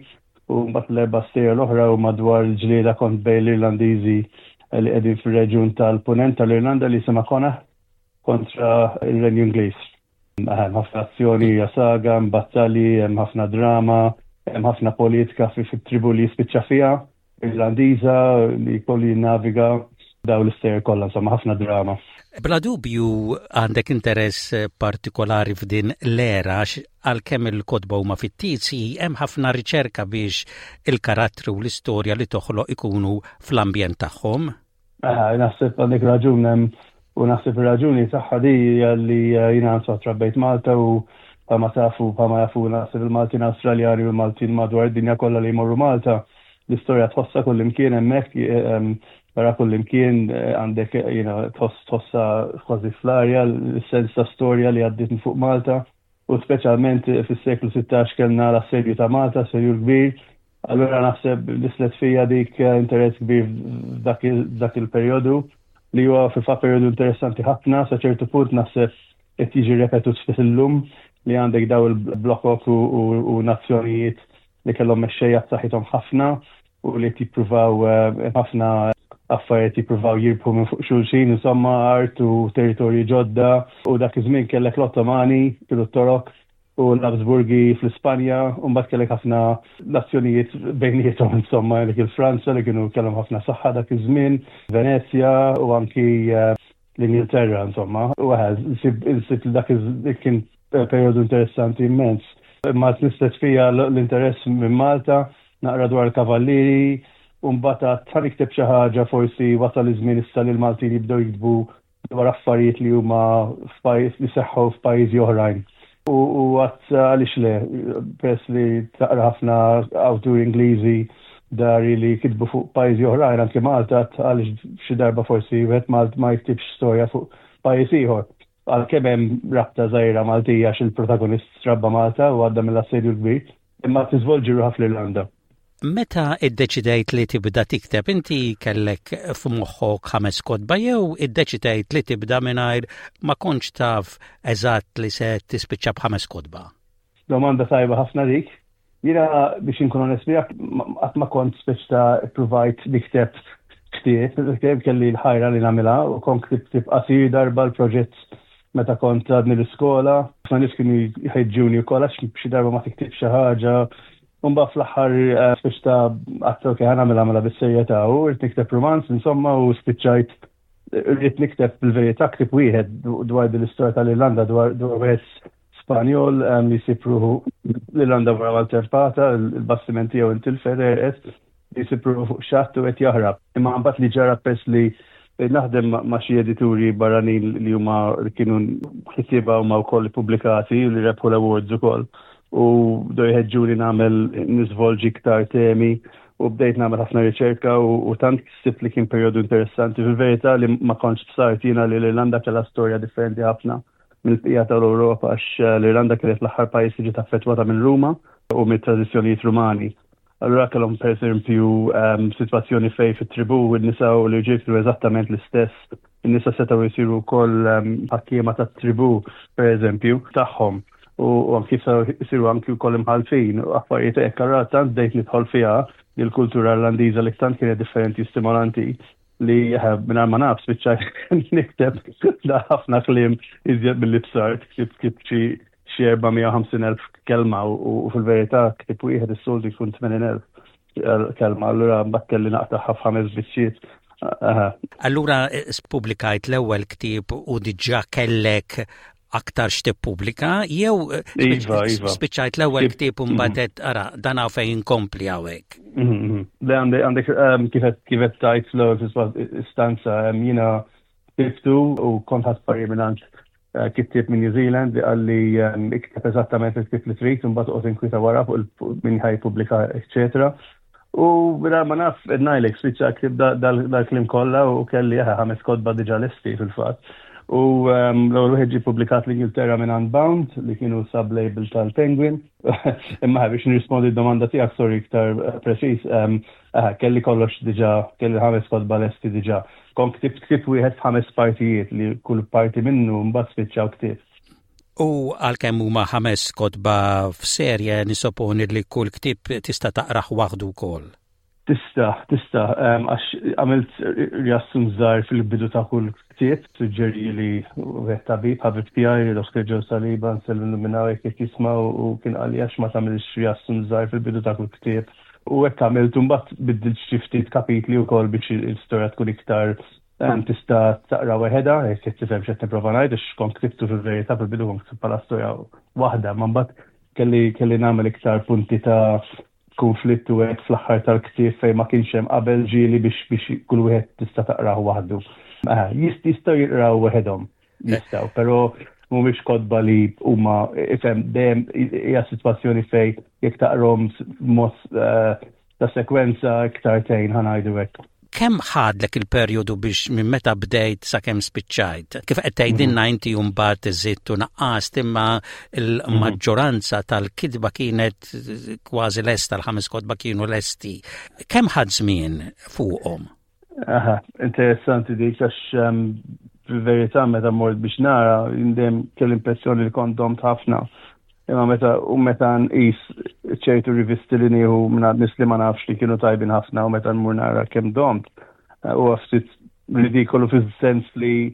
u mbagħad l-erba' stejjer l-oħra u madwar il-ġlieda kont bejn l-Irlandiżi li qegħdin fir-reġjun tal-Punent tal-Irlanda li jisimha Connacht kontra il-Renju Ingliż. Hemm ħafna azzjoni, hija saga, hemm battalji, hemm ħafna drama, hemm ħafna politika fit-tribu li jispiċċa fiha, Irlandiża, li jkollu jinnaviga daw l-istejjer kollha, insomma ħafna drama. Bla dubju għandek interess partikolari f'din l-era, għalkemm il-kotba huma fittizji, hemm ħafna riċerka biex il-karattri u l-istorja li toħloq ikunu fl-ambjent tagħhom. Ah, naħseb għandek raġun hemm u naħseb ir-raġuni tagħha di hija li jiena insomma trabbejt Malta u bħalma tafu, bħalma jafu naħseb il-Maltin Awstraljani u l-Maltin madwar id-dinja kollha li jmorru Malta, l-istorja tħossa kullimkien hemmhekk, barra kullimkien għandek tħoss tħossa kważi fl-arja l-sens ta' storja li għaddiet minn fuq Malta u speċjalment fis-seklu sittax kellna l-assedju ta' Malta, assedju kbir. Allura naħseb nislet fija dik interess kbir f'dak il-perjodu li huwa fil-fatt perjodu interessanti ħafna, sa ċertu punt naħseb qed jiġi repetut ftit illum, li għandek daw il-blokok u nazzjonijiet li kellhom mexxejja b'saħħithom ħafna u li qed jippruvaw ħafna affarijiet, jippruvaw jirbħu minn fuq xulxin, insomma art u territorji ġodda, u dak iż-żmien kellek l-Ottomani, kienu t-Torok, u l-Habsburgi fl-Ispanja, u mbagħad kellek ħafna nazzjonijiet bejniethom, insomma, dik il-Franza li kienu kellhom ħafna saħħa dak iż-żmien, Venezja u anki l-Ingilterra, insomma. U għaz, insib li dak kien periodu interessanti immens. Ma nislet fija l-interess minn Malta, naqra dwar il-kavallieri, u mbagħad ħa nikteb xi ħaġa, forsi wasal iż-żmien issa li l-Maltin jibdew jiktbu dwar affarijiet li huma f'pajjiż li seħħu f'pajjiżi oħrajn. U għedt għaliex le, peress li taqra ħafna awturi Ingliżi dari li kitbu fuq pajjiżi oħrajn, anke Malta, għaliex xi darba forsi wieħed Malt ma jiktibx storja fuq pajjiż ieħor? Għalkemm hemm rabta żgħira Maltija għax il-protagonist trabba Malta u għadda mill-assedju l-kbir, imma tiżvolġi ruħha fl-Irlanda. Meta iddeċidejt li tibda tikteb, inti kellek f'moħħok ħames kotba jew iddeċidejt li tibda mingħajr ma kontx taf eżatt li se tispiċċa b'ħames kotba? Domanda tajba ħafna dik. Jiena, biex inkun onest miegħek, qatt ma kont speċ ta' provajt nikteb ktieb, ktieb kelli l-ħajra li nagħmilha u kont ktibt ktieb qasir darba l-proġett meta kont għadni l-iskola. Ħafna nies kienu jħeġġuni wkoll għax xi darba ma tiktib xi ħaġa. Mbagħad fl-aħħar eh, spiċ ta' għedt ok, ħa nagħmilha mela bis-serjetà u rrid nikteb romanz insomma u spiċċajt rrid nikteb bil-verità ktieb wieħed dwar din l-istorja tal-Irlanda dwar dwar wieħed Spanjol li jsib ruħu l-Irlanda wara maltempata, il-bastiment tiegħu intilfet għerqet, li jsib ruħu fuq xatt u qed jaħrab. Imma mbagħad li ġara pers li naħdem ma' xi edituri barranin li huma kienu kittieba huma wkoll pubblikati u li rebħu l-awards ukoll. U bdew jħeġġuni nagħmel niżvolġi iktar temi u bdejt nagħmel ħafna riċerka u tant sibt li kien perjodu interessanti. Fil-verità li ma kontx bsart jiena li l-Irlanda kellha storja differenti ħafna mill-bqija tal-Ewropa għax l-Irlanda kienet l-aħħar pajjiż li ġiet affettwata minn Ruma u mit-tradizzjonijiet Rumani. Allura kellhom per eżempju um, sitwazzjoni fej fit-tribu n-nisa u l-irġiel kienu eżattament l-istess. In-nisa setgħu jsiru wkoll um, ħakkiema tat-tribu per eżempju tagħhom u anki jsiru anki wkoll imħalfin u affarijiet hekk. Allura tant bdejt nidħol fiha il-kultura Irlandiża li tant kienet differenti u stimolanti li minn ma naf spiċċajt nikteb da ħafna kliem iżjed milli bsart, ktibt xi xi erba' mija u ħamsin elf kelma u fil-verità ktieb wieħed is-soltu jkun tmenin elf kelma, allura mbagħad kelli naqtagħha f'ħames biċċiet. Allura spubblikajt l-ewwel ktieb u diġà kellek aktar x'tippubblika jew Iva, iva. spiċċajt l-ewwel ktieb u mbagħad ara dan hawn fejn inkompli hawnhekk? Mhm, mhm. Le għandek għandek kif kif tajt l-ewwel istanza jiena ktibtu u kont ħadt parir minn eh, kittieb minn New Zealand li qalli ikteb eżattament il-ktieb li trid u mbagħad oqgħod inkwita wara fuq min ħa jippubblika, eċetera. U bla ma naf ngħidlek spiċċa ktibt dal-kliem kollha u kelli ħames kotba diġà lesti fil-fatt. U l-ewwel wieħed ġie publikat l-Ingilterra minn Unbound li kienu sub-label tal-Penguin. Imma biex nirrispondi d-domanda tiegħek, sorry, iktar eh, preċiż, kelli kollox diġà, kelli ħames kotba lesti diġà. Kont ktibt ktieb wieħed f'ħames partijiet li kull parti minnu mbagħad spiċċaw ktieb. U għalkemm huma ħames kotba f'serje, nisoponi li kull ktieb tista' taqrah waħdu wkoll. Tista, tista, għax għamilt riassunt żgħir fil-bidu ta' kull ktieb, suġġerieli wieħed tabib, ħabib tiegħi, Doktor Joe Saliba, nsellimlu minn hawn jekk jisma' u kien qalli għax ma tagħmilx riassunt żgħir fil-bidu ta' kull ktieb. U hekk għamilt, mbagħad biddilt xi ftit kapitli wkoll biex l-istorja tkun iktar tista' taqra weħeda, jekk qed tifhem x'qed nipprova ngħid, għax kont ktibtu fil-verità fil-bidu kont ktib bħala storja waħda, ma mbagħad kelli kelli nagħmel iktar punti ta' konflittu hekk fl-aħħar tal-ktieb fejn ma kienx hemm qabel ġieli biex biex kull wieħed tista' taqrah waħdu. Jistgħu jiqraw waħedhom, jistgħu, però mhumiex kotba li huma ifhem dejjem hija sitwazzjoni fej jekk taqrom mod eh, ta' sekwenza iktar tgħin, ħa ngħidu hekk. Kemm ħadlek il-perjodu biex minn meta bdejt sakemm spiċċajt? Kif qed tgħidilna mhm. inti mbagħad żidt u naqqast, imma l-maġġoranza tal-kitba kienet kważi lesta, l-ħames kotba kienu lesti. Kemm ħadt żmien fuqhom? Aha, interessanti dik għax um, fil-verità meta mort biex nara dejjem kelli impressjoni li kont domt ħafna. Imma meta u meta nqis ċertu rivisti li nieħu minn nies li ma nafx li kienu tajbin ħafna u meta nmur nara kemm domt, huwa ftit ridikolu fis-sens li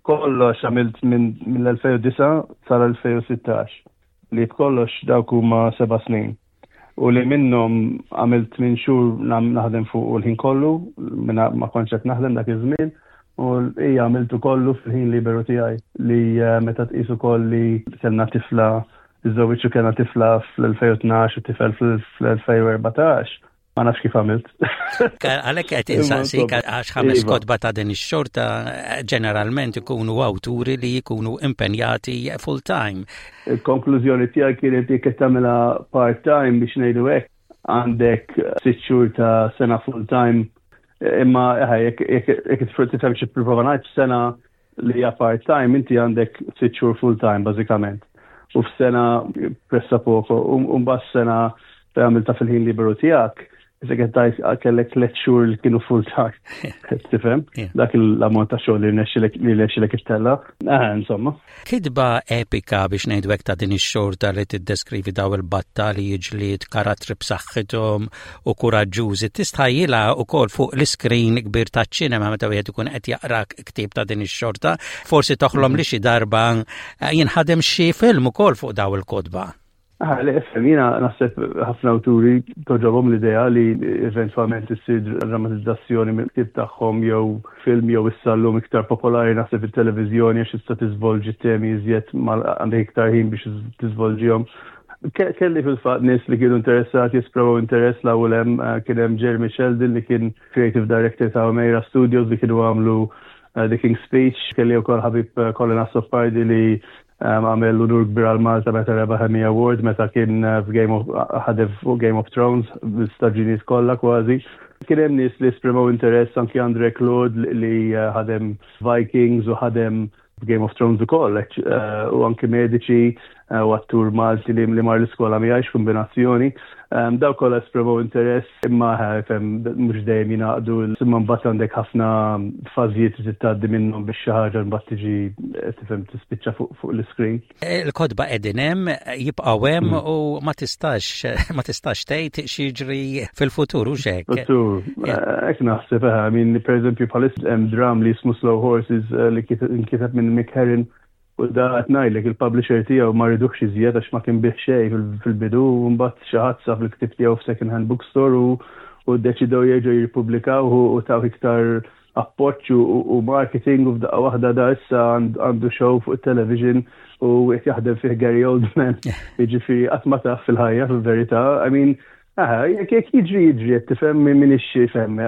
kollox għamilt minn mill-elfejn u disgħa sal-elfejn u sittax li b'kollox dawk huma seba' snin. U li minnhom għamilt minn xhur naħdem fuq u l-ħin kollu, minna ma kontx qed naħdem dak iż-żmien, u hija għamiltu kollu fil-ħin liberu tiegħi li eh, meta tqisu koll li kellna tifla, iżżewwiġt u kellna tifla fl-elfejn u tnax u tifel fl-elfejn u erbatax. Ma nafx kif għamilt. Għalhekk qed insaqsik għax ħames iva. kotba ta' din ix-xorta ġeneralment ikunu awturi li jkunu impenjati full time. Il-konklużjoni tiegħi kienet jekk qed tagħmilha part time, biex ngħidu hekk, għandek sitt xhur ta' sena full time, imma jekk tifhem xi prova ngħid, sena li hija part time inti għandek sitt xhur full time bażikament. U f'sena pressappoco, u mbagħad sena fejn għamilta fil-ħin liberu tiegħek, issa qed tgħid kellek tliet xhur li kienu full time. Tifhem? Dak l-ammont ta' xogħol li rnexxilek li rnexxilek ittella. Ah, insomma. Kitba epika, biex ngħidu hekk, ta' din ix-xorta li tiddeskrivi daw il-battalji, ġlied, karattri b'saħħithom u kuraġġużi, tistħajjilha wkoll fuq l-iskrin kbir taċ-ċinema meta wieħed ikun qed jaqra ktieb ta' din ix-xorta, forsi toħlom li xi darba jinħadem xi film ukoll fuq daw il-kotba. Ah, le, ifhem, jiena naħseb ħafna awturi togħġobhom l-idea li eventwalment issir drammatizzazzjoni mill-ktieb tagħhom jew film jew issa llum iktar popolari naħseb it-televiżjoni għax tista' tiżvolġi temi iżjed għandek iktar ħin biex tiżvolġihom. Kelli fil-fatt nies li kienu interessati jesprimu interess l-ewwel hemm eh, kien hemm Jeremy Sheldon li kien creative director ta' Omeira Studios li kienu għamlu eh, The King's Speech, kelli wkoll ħabib eh, Colin Azzopardi li għamel l-unur kbir għal Malta meta rebaħ Emmy Award meta kien eh, f'Game of ħadem fuq Game of Thrones bl-istaġunijiet kollha kważi. Kien hemm nies li esprimew interess anki Andre Claude li eh, ħadem Vikings u ħadem Game of Thrones ukoll, eh, u anki mediċi u attur Malti li li mar l-iskola miegħi kombinazzjoni. Daw kollha esprimew interess imma fem mhux dejjem jingħaqdu imma mbagħad għandek ħafna fażijiet li tgħaddi minnhom biex xi ħaġa mbagħad tiġi tifhem tispiċċa fuq l-iscreen. Il-kotba qegħdin hemm, jibqgħu hemm mm. u ma tistax ma tistax tgħid x'jiġri fil-futur u xek. Futur, hekk naħseb, I mean, pereżempju bħalissa hemm dram li jismu Slow Horses eh, li nkiteb minn Mick Herron u da qed ngħidlek il-publisher tiegħu ma ridux iżjed għax ma kien bih xejn fil-bidu u mbagħad xi ħadd sab il-ktieb tiegħu f'second hand bookstore u u ddeċidew jerġgħu jirrippubblikaw u taw iktar appoġġ u marketing u f'daqqa waħda da issa għandu show fuq television u qed jaħdem fih Gary Oldman. Jiġifieri qatt ma taf fil-ħajja fil-verità. I mean, Aha, jekk jekk jiġri jiġri, tifhem min tifhem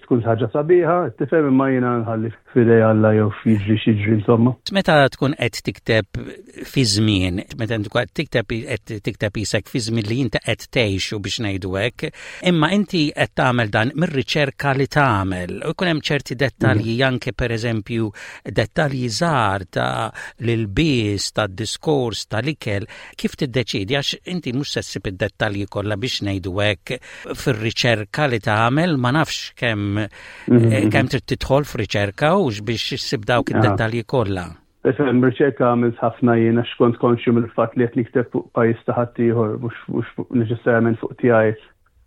tkun ħaġa sabiħa, tifhem imma jiena nħalli f'idej Alla jew jiġri x'jiġri insomma. Meta tkun qed tikteb fi żmien, meta tkun qed tikteb qed tikteb isek fi żmien li inti qed tgħixu biex ngħidu hekk, imma inti qed tagħmel dan mir-riċerka li tagħmel. U jkun hemm ċerti dettalji mhm. anke pereżempju dettalji żgħar ta' l-ilbies, tad-diskors, tal-ikel, kif tiddeċidi għax inti mhux se ssib id-dettalji kollha biex ngħidu hekk fir-riċerka li tagħmel ma nafx kemm mhm. eh, kemm trid tidħol f'riċerka u biex issib dawk id-dettalji kollha. Ifhem, riċerka għamilt ħafna jien għax kont konxju mill-fatt li qed nikteb fuq pajjiż ta' ħaddieħor mhux neċessarjament fuq tiegħi.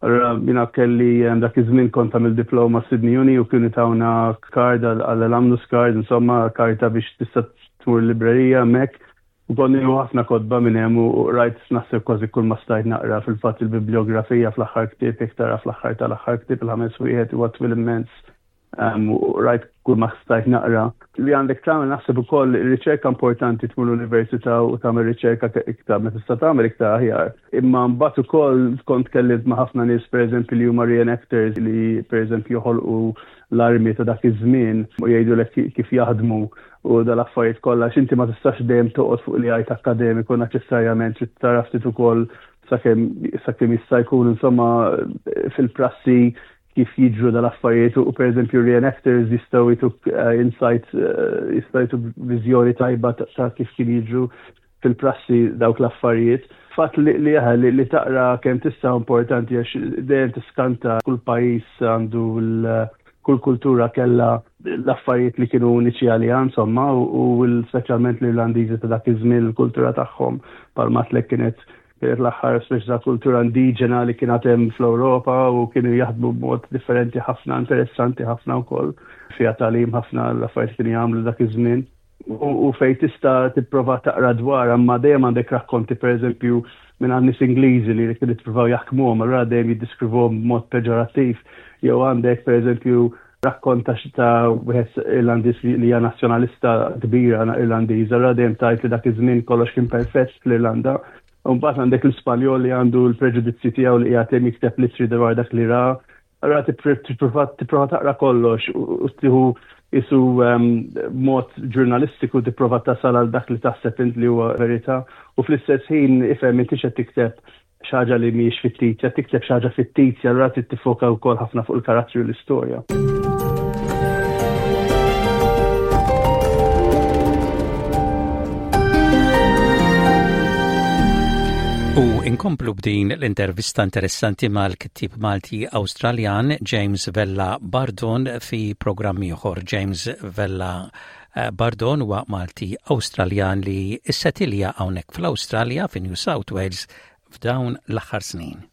Allura jiena kelli dak iż-żmien kont għamil diploma Sydney Uni u kienu tawna card għall-alumnus card, insomma karta biex tista' tmur librerija hemmhekk. U kont nieħu ħafna kotba minn hemm u rajt naħseb kważi kull ma stajt naqra fil-fatt il-bibliografija fl-aħħar ktieb jekk tara fl-aħħar tal-aħħar ktieb il-ħames wieħed huwa twil immens. U rajt kull ma stajt naqra. Li għandek tagħmel naħseb ukoll riċerka importanti tmur l-università u tagħmel riċerka iktar ma tista' tagħmel iktar aħjar. Imma mbagħad ukoll kont kellimt ma' ħafna nies pereżempju li huma reenactors li pereżempju joħolqu l-armi ta' dak iż-żmien u jgħidulek kif jaħdmu u dal-affarijiet kollha x'inti ma tistax dejjem toqgħod fuq li għajt akademiku neċessarjament trid tara ftit ukoll sakemm sakemm jista' jkun insomma fil-prassi kif jiġru dal-affarijiet u pereżempju reenactors jistgħu jtuk eh, insight eh, jistgħu jtuk viżjoni tajba ta' kif kien jiġru fil-prassi dawk l-affarijiet. Fatt li li, li, li taqra kemm tista' importanti għax dejjem tiskanta kull pajjiż għandu l kull kultura kella l-affarijiet li kienu uniċi għaliha insomma u speċjalment l-Irlandiżi ta' dak iż-żmien il-kultura tagħhom bħalma għedtlek kienet kienet l-aħħar speċi ta' kultura indiġena li kien hemm fl-Ewropa u kienu jaħdmu b'mod differenti ħafna, interessanti ħafna wkoll fiha tagħlim ħafna l-affarijiet kienu jagħmlu dak iż-żmien. U fej tista' tipprova taqra dwar, imma dejjem għandek rakkonti pereżempju minn għand nies Ingliżi li kienu jippruvaw jaħkmuhom, allura dejjem jiddeskrivuhom b'mod peġorattiv. Jew għandek pereżempju rakkont ta' wieħed Irlandiż li hija nazzjonalista kbira Irlandiża, allura dejjem tgħid li dak iż-żmien kollox kien perfett fl-Irlanda. U mbagħad għandek l-Ispanjol li għandu l-preġudizzji tiegħu li qiegħed hemm jikteb litri dwar dak li ra. Allura tipprova tipprova taqra kollox u tieħu isu ehm, mod ġurnalistiku tipprova tasal għal dak li taħseb int li huwa verità u fl-istess ħin ifhem inti qed tikteb xi ħaġa li mhijiex fittizja, tikteb xi ħaġa fittizja, allura trid tiffoka wkoll ħafna fuq il-karattri u l-istorja. U inkomplu b'din l-intervista interessanti mal-kittib Malti Awstraljan James Vella Bardon fi programm ieħor. James Vella eh, Bardon huwa Malti Awstraljan li issetilja hawnhekk fl-Awstralja fi New South Wales f'dawn l-aħħar snin.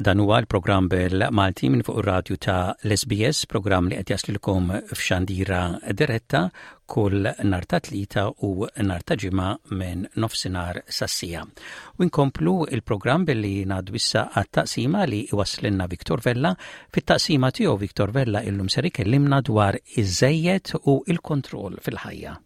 Dan huwa l-programm bil-Malti minn fuq ir-radju ta' l-S B S, programm li qed jaslilkom f'xandira diretta kull nhar ta' Tlieta u nhar ta' Ġimgħa minn nofsinhar sas-siegħa. U nkomplu il-programm billi ngħaddu issa għat-taqsima li iwasslilna Victor Vella. Fit-taqsima tiegħu, Victor Vella illum ser ikellimna dwar iż-żejjed u il-kontroll fil-ħajja.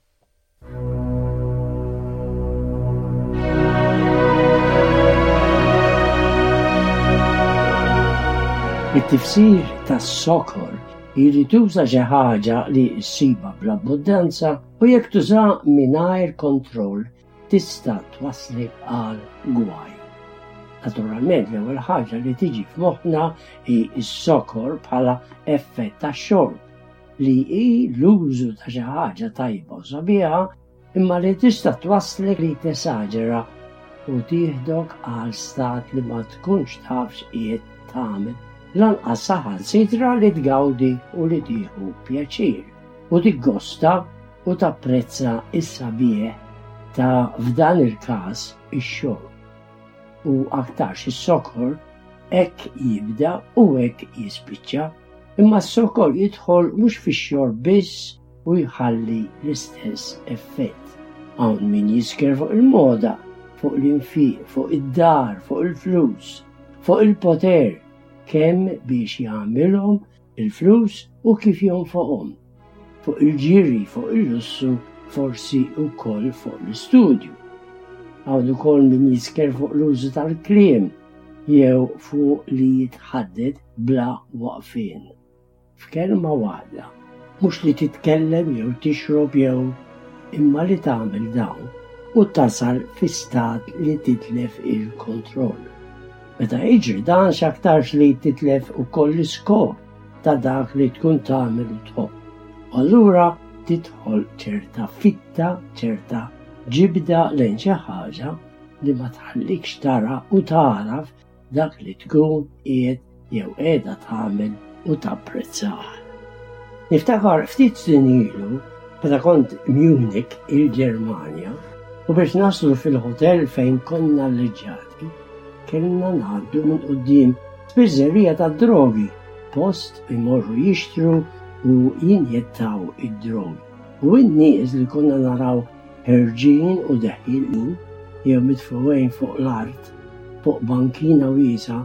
It-tifsir tas-sokor hi li tuża xi ħaġa li ssibha bl-abbundanza u jekk tuża mingħajr kontroll tista' twasslek għal gwaj. Naturalment, l-ewwel ħaġa li tiġi f'moħħna hi s-sokor bħala effett tax-xorb, li hi l-użu ta' xi ħaġa tajba u sabiħa, imma li tista' twasslek li tesaġera u tieħdok għal stat li ma tkunx taf x'qiegħed tagħmel, lanqas saħansitra li tgawdi u li tieħu pjaċir u tiggosta u tapprezza is-sabiħ ta', f'dan il-każ, ix-xorb. U aktarx is-sokor hekk jibda u hekk jispiċċa, imma s-sokor jidħol mhux fix-xorb biss u jħalli l-istess effett. Hawn min jisker fuq il-moda, fuq l-infiq, fuq id-dar, fuq il-flus, fuq il-poter, kemm biex jagħmilhom il-flus u kif jonfoqhom, fuq il-ġiri, fuq il-lussu, forsi wkoll fuq l-istudju. Hawn ukoll min jisker fuq l-użu tal-kliem jew fuq li jitħaddet bla waqfien. F'kelma waħda, mhux li titkellem jew tixrob jew, imma li tagħmel dawn u tasal fi stat li titlef il-kontroll. Meta jiġri dan, x'aktarx li titlef ukoll l-iskop ta' dak li tkun tagħmel u tħobb. U allura tidħol ċerta fitta, ċerta ġibda lejn xi ħaġa li ma tħallikx tara u tagħraf dak li tkun qiegħed jew qiegħda tagħmel u tapprezzah. Niftakar ftit snin ilu meta kont Munich, il-Ġermanja, u biex naslu fil-hotel fejn konna alleġġati kellna ngħaddu minn quddiem spiżerija ta' drogi, post imorru jixtru u jinjettaw id-drogi. U n-nies li konna naraw ħerġin u deħilin jew mitfuqin fuq l-art, fuq bankina wiesgħa,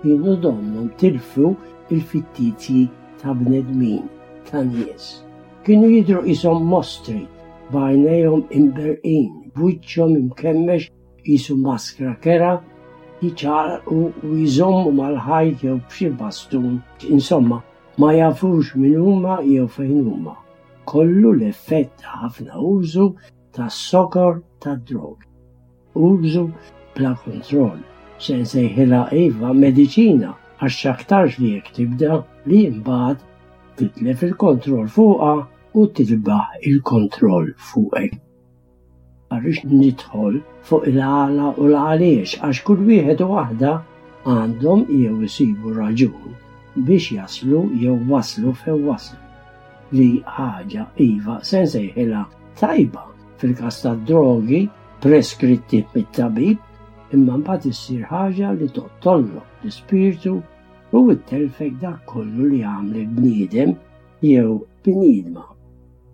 kienu donnhom tilfu il-fittizji ta' bnedmin, ta' nies. Kienu jidru qishom mostri, b'għajnejhom imberqin, b'wiċċhom imkemmex qisu maskra kerha, jiċċaqalqu u jżommu mal-ħajt jew b'xi bastun. Insomma, ma jafux min huma jew fejn huma. Kollu l-effett ta' ħafna użu ta' sokor ta' drog. Użu bla kontroll. Se nsejħilha, iva, mediċina, għax aktarx li jekk tibda li imbagħad titlef il-kontroll fuqha u tilbaħ il-kontroll fuqek. Għarix nidħol fuq il-għala u l-għaliex, għax kull wieħed u waħda għandhom jew isibu raġun biex jaslu jew waslu fejn waslu. Li ħaġa, iva, se nsejħilha tajba fil-każ tad-drogi preskritti mit-tabib, imma mbagħad issir ħaġa li toqtollok l-ispirtu u ttelfek dak kollu li għamlek bniedem jew bniedma,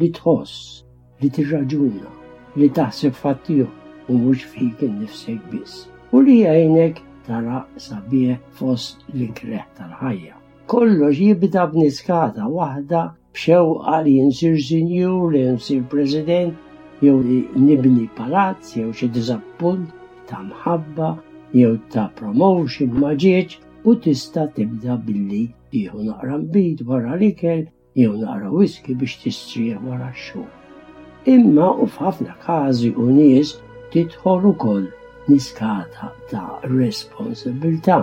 li tħoss, li tirraġuna, li taħseb f'ħaddieħor u mhux fik innifsek biss, u li jgħinek tara sabiħ fost l-ikreh tal-ħajja. Kollox jibda b'niskata waħda, b'xewqa li nsir sinjur, li nsir president, jew li nibni palazz, jew xi diżappunt ta' mħabba, jew ta' promotion ma ġietx, u tista' tibda billi tieħu naqra nbid wara l-ikel jew naqra whisky biex tistrieħ wara x-xogħol. Imma u f'ħafna każi u nies tidħol ukoll niskata ta' responsabilità,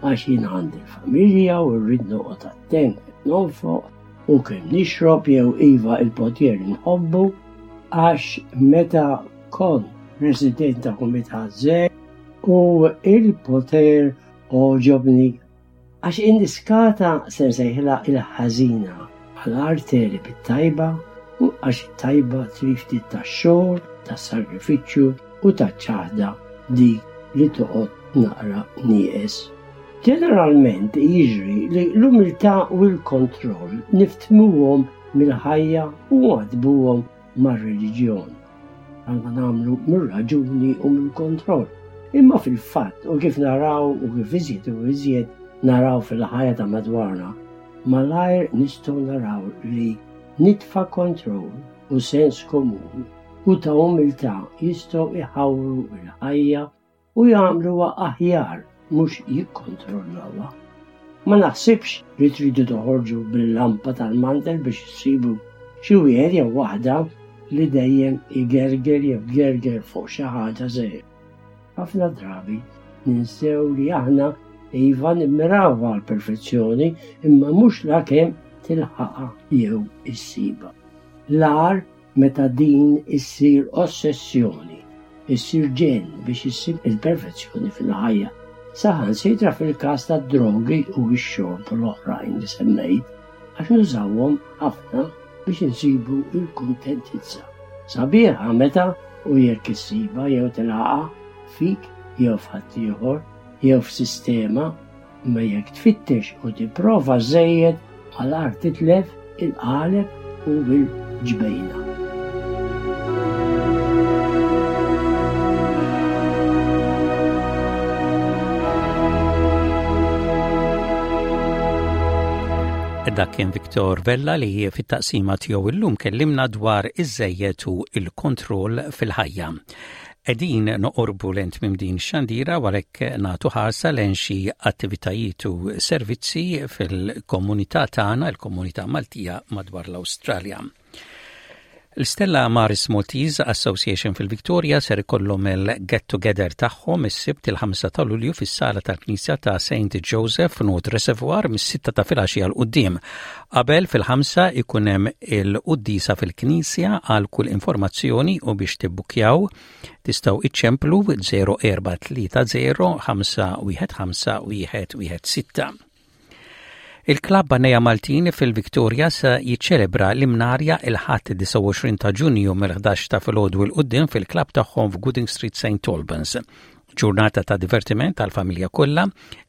għax jien għandi l-familja u rrid noqgħod attent kif nonfoq u kemm nixrob, jew, iva, il-poter nħobbu, għax meta kont president ta' kumitat żgħir u il-poter għoġobni, għax in-niskata, se nsejħilha il-ħażina, għal tegħleb it-tajba, u għax it-tajba trid ftit ta' xogħol, ta' sagrifiċċju u ta' ċaħda, dik li toqgħod naqra nieqes. Ġeneralment jiġri li l-umiltà u l-kontroll niftmuhom mill-ħajja u nwaddbuhom mar-reliġjon. Bħalma nagħmlu mir-raġuni u mill-kontroll. Imma fil-fatt u kif naraw u kif iżjed u iżjed naraw fil-ħajja ta' madwarna, malajr nistgħu naraw li nitfa kontroll u sens komun u ta' umiltà jistgħu iħawru l-ħajja u jagħmluha aħjar mhux jikkontrollawha. Ma naħsibx li tridu toħorġu bil-lampa tal-mantel biex issibu xi wieħed jew waħda li dejjem igerger jew gerger fuq xi ħaġa żgħira. Ħafna drabi ninsew li aħna iva nimmiraw għall-perfezzjoni imma mhux lakemm tilħaqha jew issibha. L-agħar meta din issir ossessjoni, issir ġenn biex issib il-perfezzjoni fil-ħajja. Saħansitra fil-każ tad-drogi u x-xorb u l-oħrajn li semmejt, għax nużawhom ħafna biex insibu l-kuntentizza. Sabiħa meta u jekk issibha jew tilħaqha fik jew f'ħaddieħor jew f'sistema, imma jekk tfittex u tipprova żejjed malajr titlef il-qaleb u l-ġbejna. Dak kien Victor Vella li fit-taqsima tiegħu illum kellimna dwar iż-żejjed u il-kontroll fil-ħajja. Qegħdin noqorbu lejn tmiem din xandira għalhekk nagħtu ħarsa lejn xi attivitajiet u servizzi fil-komunità tagħna, il-komunità Maltija madwar l-Awstralja. L-Stella Maris Maltese Association fil-Victoria ser ikollhom il-Get Together tagħhom is-Sibt il-ħamsa ta' Lulju fis-sala tal-Knisja ta' Saint Joseph North Reservoir mis-sitta ta' filgħaxija 'l quddiem. Qabel fil-ħamsa ikun hemm il-quddiesa fil-Knisja. Għal kull informazzjoni u biex tibbukjaw tistgħu iċċemplu żero erba' tlieta żero ħamsa wieħed ħamsa wieħed wieħed sitta. Il-Klabb Għannejja Maltin fil-Victoria se jiċċelebra l-Imnarja il-Ħadd disgħa u għoxrin ta' Ġunju mill-ħdax ta' filgħodu 'l quddiem fil-klabb tagħhom f'Gooding Street, Saint Albans. Ġurnata ta' divertiment tal-familja kollha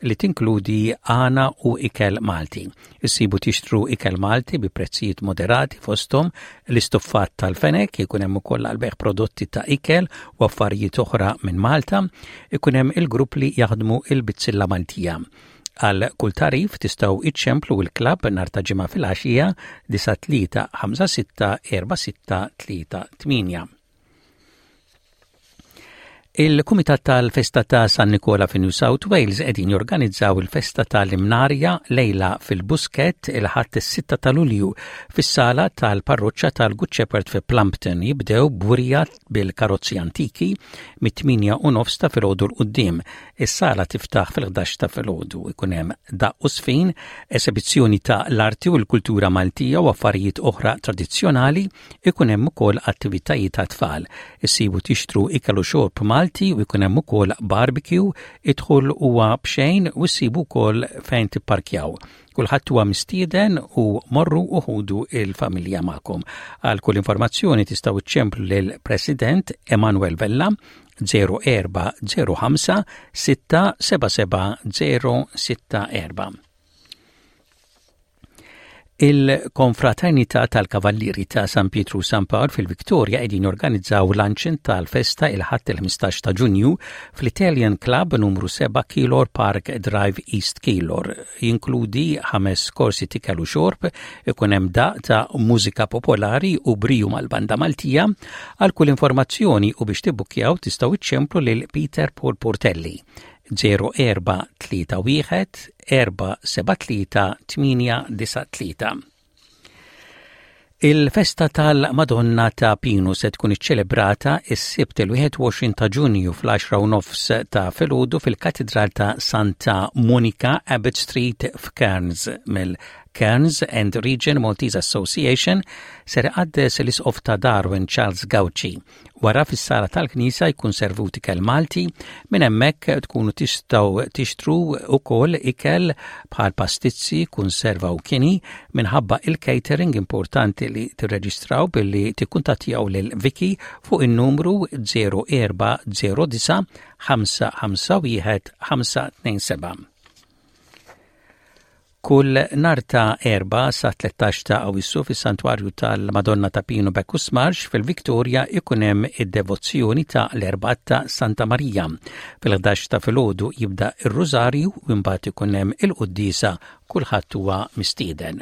li tinkludi għana u ikel Malti. Issibu tixtru ikel Malti bi prezzijiet moderati, fosthom l-istuffat tal-fenek, ikun hemm ukoll għall-bejgħ prodotti ta' ikel u affarijiet oħra minn Malta, ikun hemm il-grupp li jaħdmu il-bizzilla Maltija. Għal kull tagħrif tistgħu iċċemplu il-klabb nhar ta' Ġimgħa filgħaxija disgħa tlieta ħamsa sitta erba' sitta tlieta tmienja. Il-Kumitat tal-Festa ta' San Nikola fi New South Wales qegħdin jorganizzaw il-Festa tal-Imnarja lejla fil-Busket il-Ħadd is-sitta ta' Lulju fis-sala tal-Parroċċa tal-Good Shepherd fi Plumpton. Jibdew b'wirja bil-karozzi antiki mit-tmienja u nofs ta' filgħodu 'l quddiem. Is-sala tiftaħ fil-ħdax ta' filgħodu. Ikun hemm daqq u żfin, esibizzjoni ta' l-arti u l-kultura Maltija u affarijiet oħra tradizzjonali, ikun hemm ukoll attivitajiet ta' tfal. Issibu tixtru ikel u xorb Malti u jkun hemm ukoll barbecue, id-dħul huwa b'xejn u ssibu wkoll fejn tipparkjaw. Kulħadd huwa mistieden u morru u ħudu il-familja magħkom. Għal kull informazzjoni tistgħu iċċemplu lill-President Emanuel Vella żero erba' żero ħamsa sitta seba' seba' żero sitta erba'. Il-Konfraternità tal-Kavallieri ta' San Pietru San Pawl fil-Victoria qegħdin jorganizzaw luncheon tal-festa il-Ħadd il-ħmistax ta' Ġunju fl-Italian Club, numru seba' Keilor Park Drive, East Keilor. Jinkludi ħames korsi t'ikel u xorb, ikun hemm daqq ta' mużika popolari u briju mal-banda Maltija. Għal kull informazzjoni u biex tibbukjaw tistgħu iċċemplu lil Peter Paul Portelli żero erba' tlieta wieħed erba' seba' tlieta tmienja disgħa tlieta. Il-festa tal-Madonna ta' Pinu se tkun iċċelebrata is-Sibt il-wieħed u għoxrin ta' Ġunju fl-għaxra u nofs ta' filgħodu fil-Katedral ta' Santa Monica, Abbott Street f'Cairns mill Cairns and Region Maltese Association. Ser iqaddes l-Isqof ta' Darwin Charles Gauci. Wara fis-sala tal-Knisja jkun servut ikel Malti, minn hemmhekk tkunu tistgħu tixtru ukoll ikel bħal pastizzi, kunserva u kini. Minħabba il-catering importanti li tirreġistraw billi tikkuntattjaw lil Vicky fuq in-numru żero erba' żero disgħa ħamsa ħamsa wieħed ħamsa tnejn seba'. Kull nhar ta' Erbgħa sa tlettax ta' Awwissu fis-Santwarju tal-Madonna ta' Pinu Bacchus Marsh fil-Victoria ikun hemm id-devozzjoni ta' l-Erbgħa ta' Santa Marija. Fil-ħdax ta' filgħodu jibda ir-Rużarju u mbagħad ikun hemm il-quddiesa. Kulħadd huwa mistieden.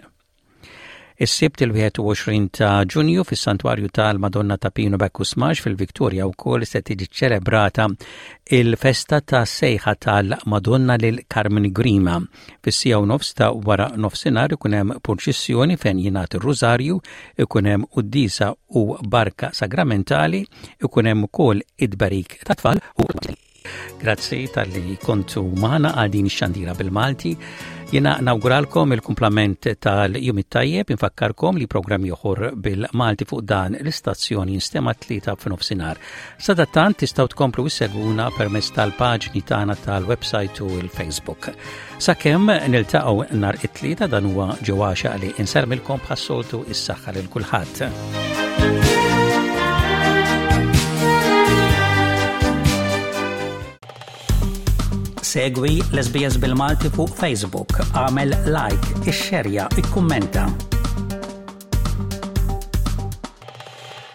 Is-Sibt il-wieħed u għoxrin ta' Ġunju fis-Santwarju tal-Madonna ta' Pinu Bacchus Marsh fil-Victoria wkoll se tiġi ċelebrata il-festa ta' sejħa tal-Madonna lil Carmen Grima. Fis-siegħa u nofs ta' wara nofsinhar ikun hemm purċissjoni fejn jingħad ir-Rużarju, ikun hemm quddiesa u barka sagramentali, ikun hemm ukoll id-tberik tat-tfal u Grazzi talli kontu magħna għal din ix-xandira bil-Malti. Jiena nawguralkom il-kumplament tal-jum it-tajjeb. Infakkarkom li programm ieħor bil-Malti fuq dan l-istazzjon jinstema' t-Tlieta f'nofsinhar. Sadattant tistgħu tkomplu issegwuna permezz tal-paġni tagħna tal-website u l-Facebook. Sakemm niltaqgħu nhar it-Tlieta, dan huwa ġewwaxa li insellmilkom bħas-soltu, is-saħħa lil kulħadd. Segwi l-S B S bil-Malti fuq Facebook, għamel like, ixxerja, ikkummenta.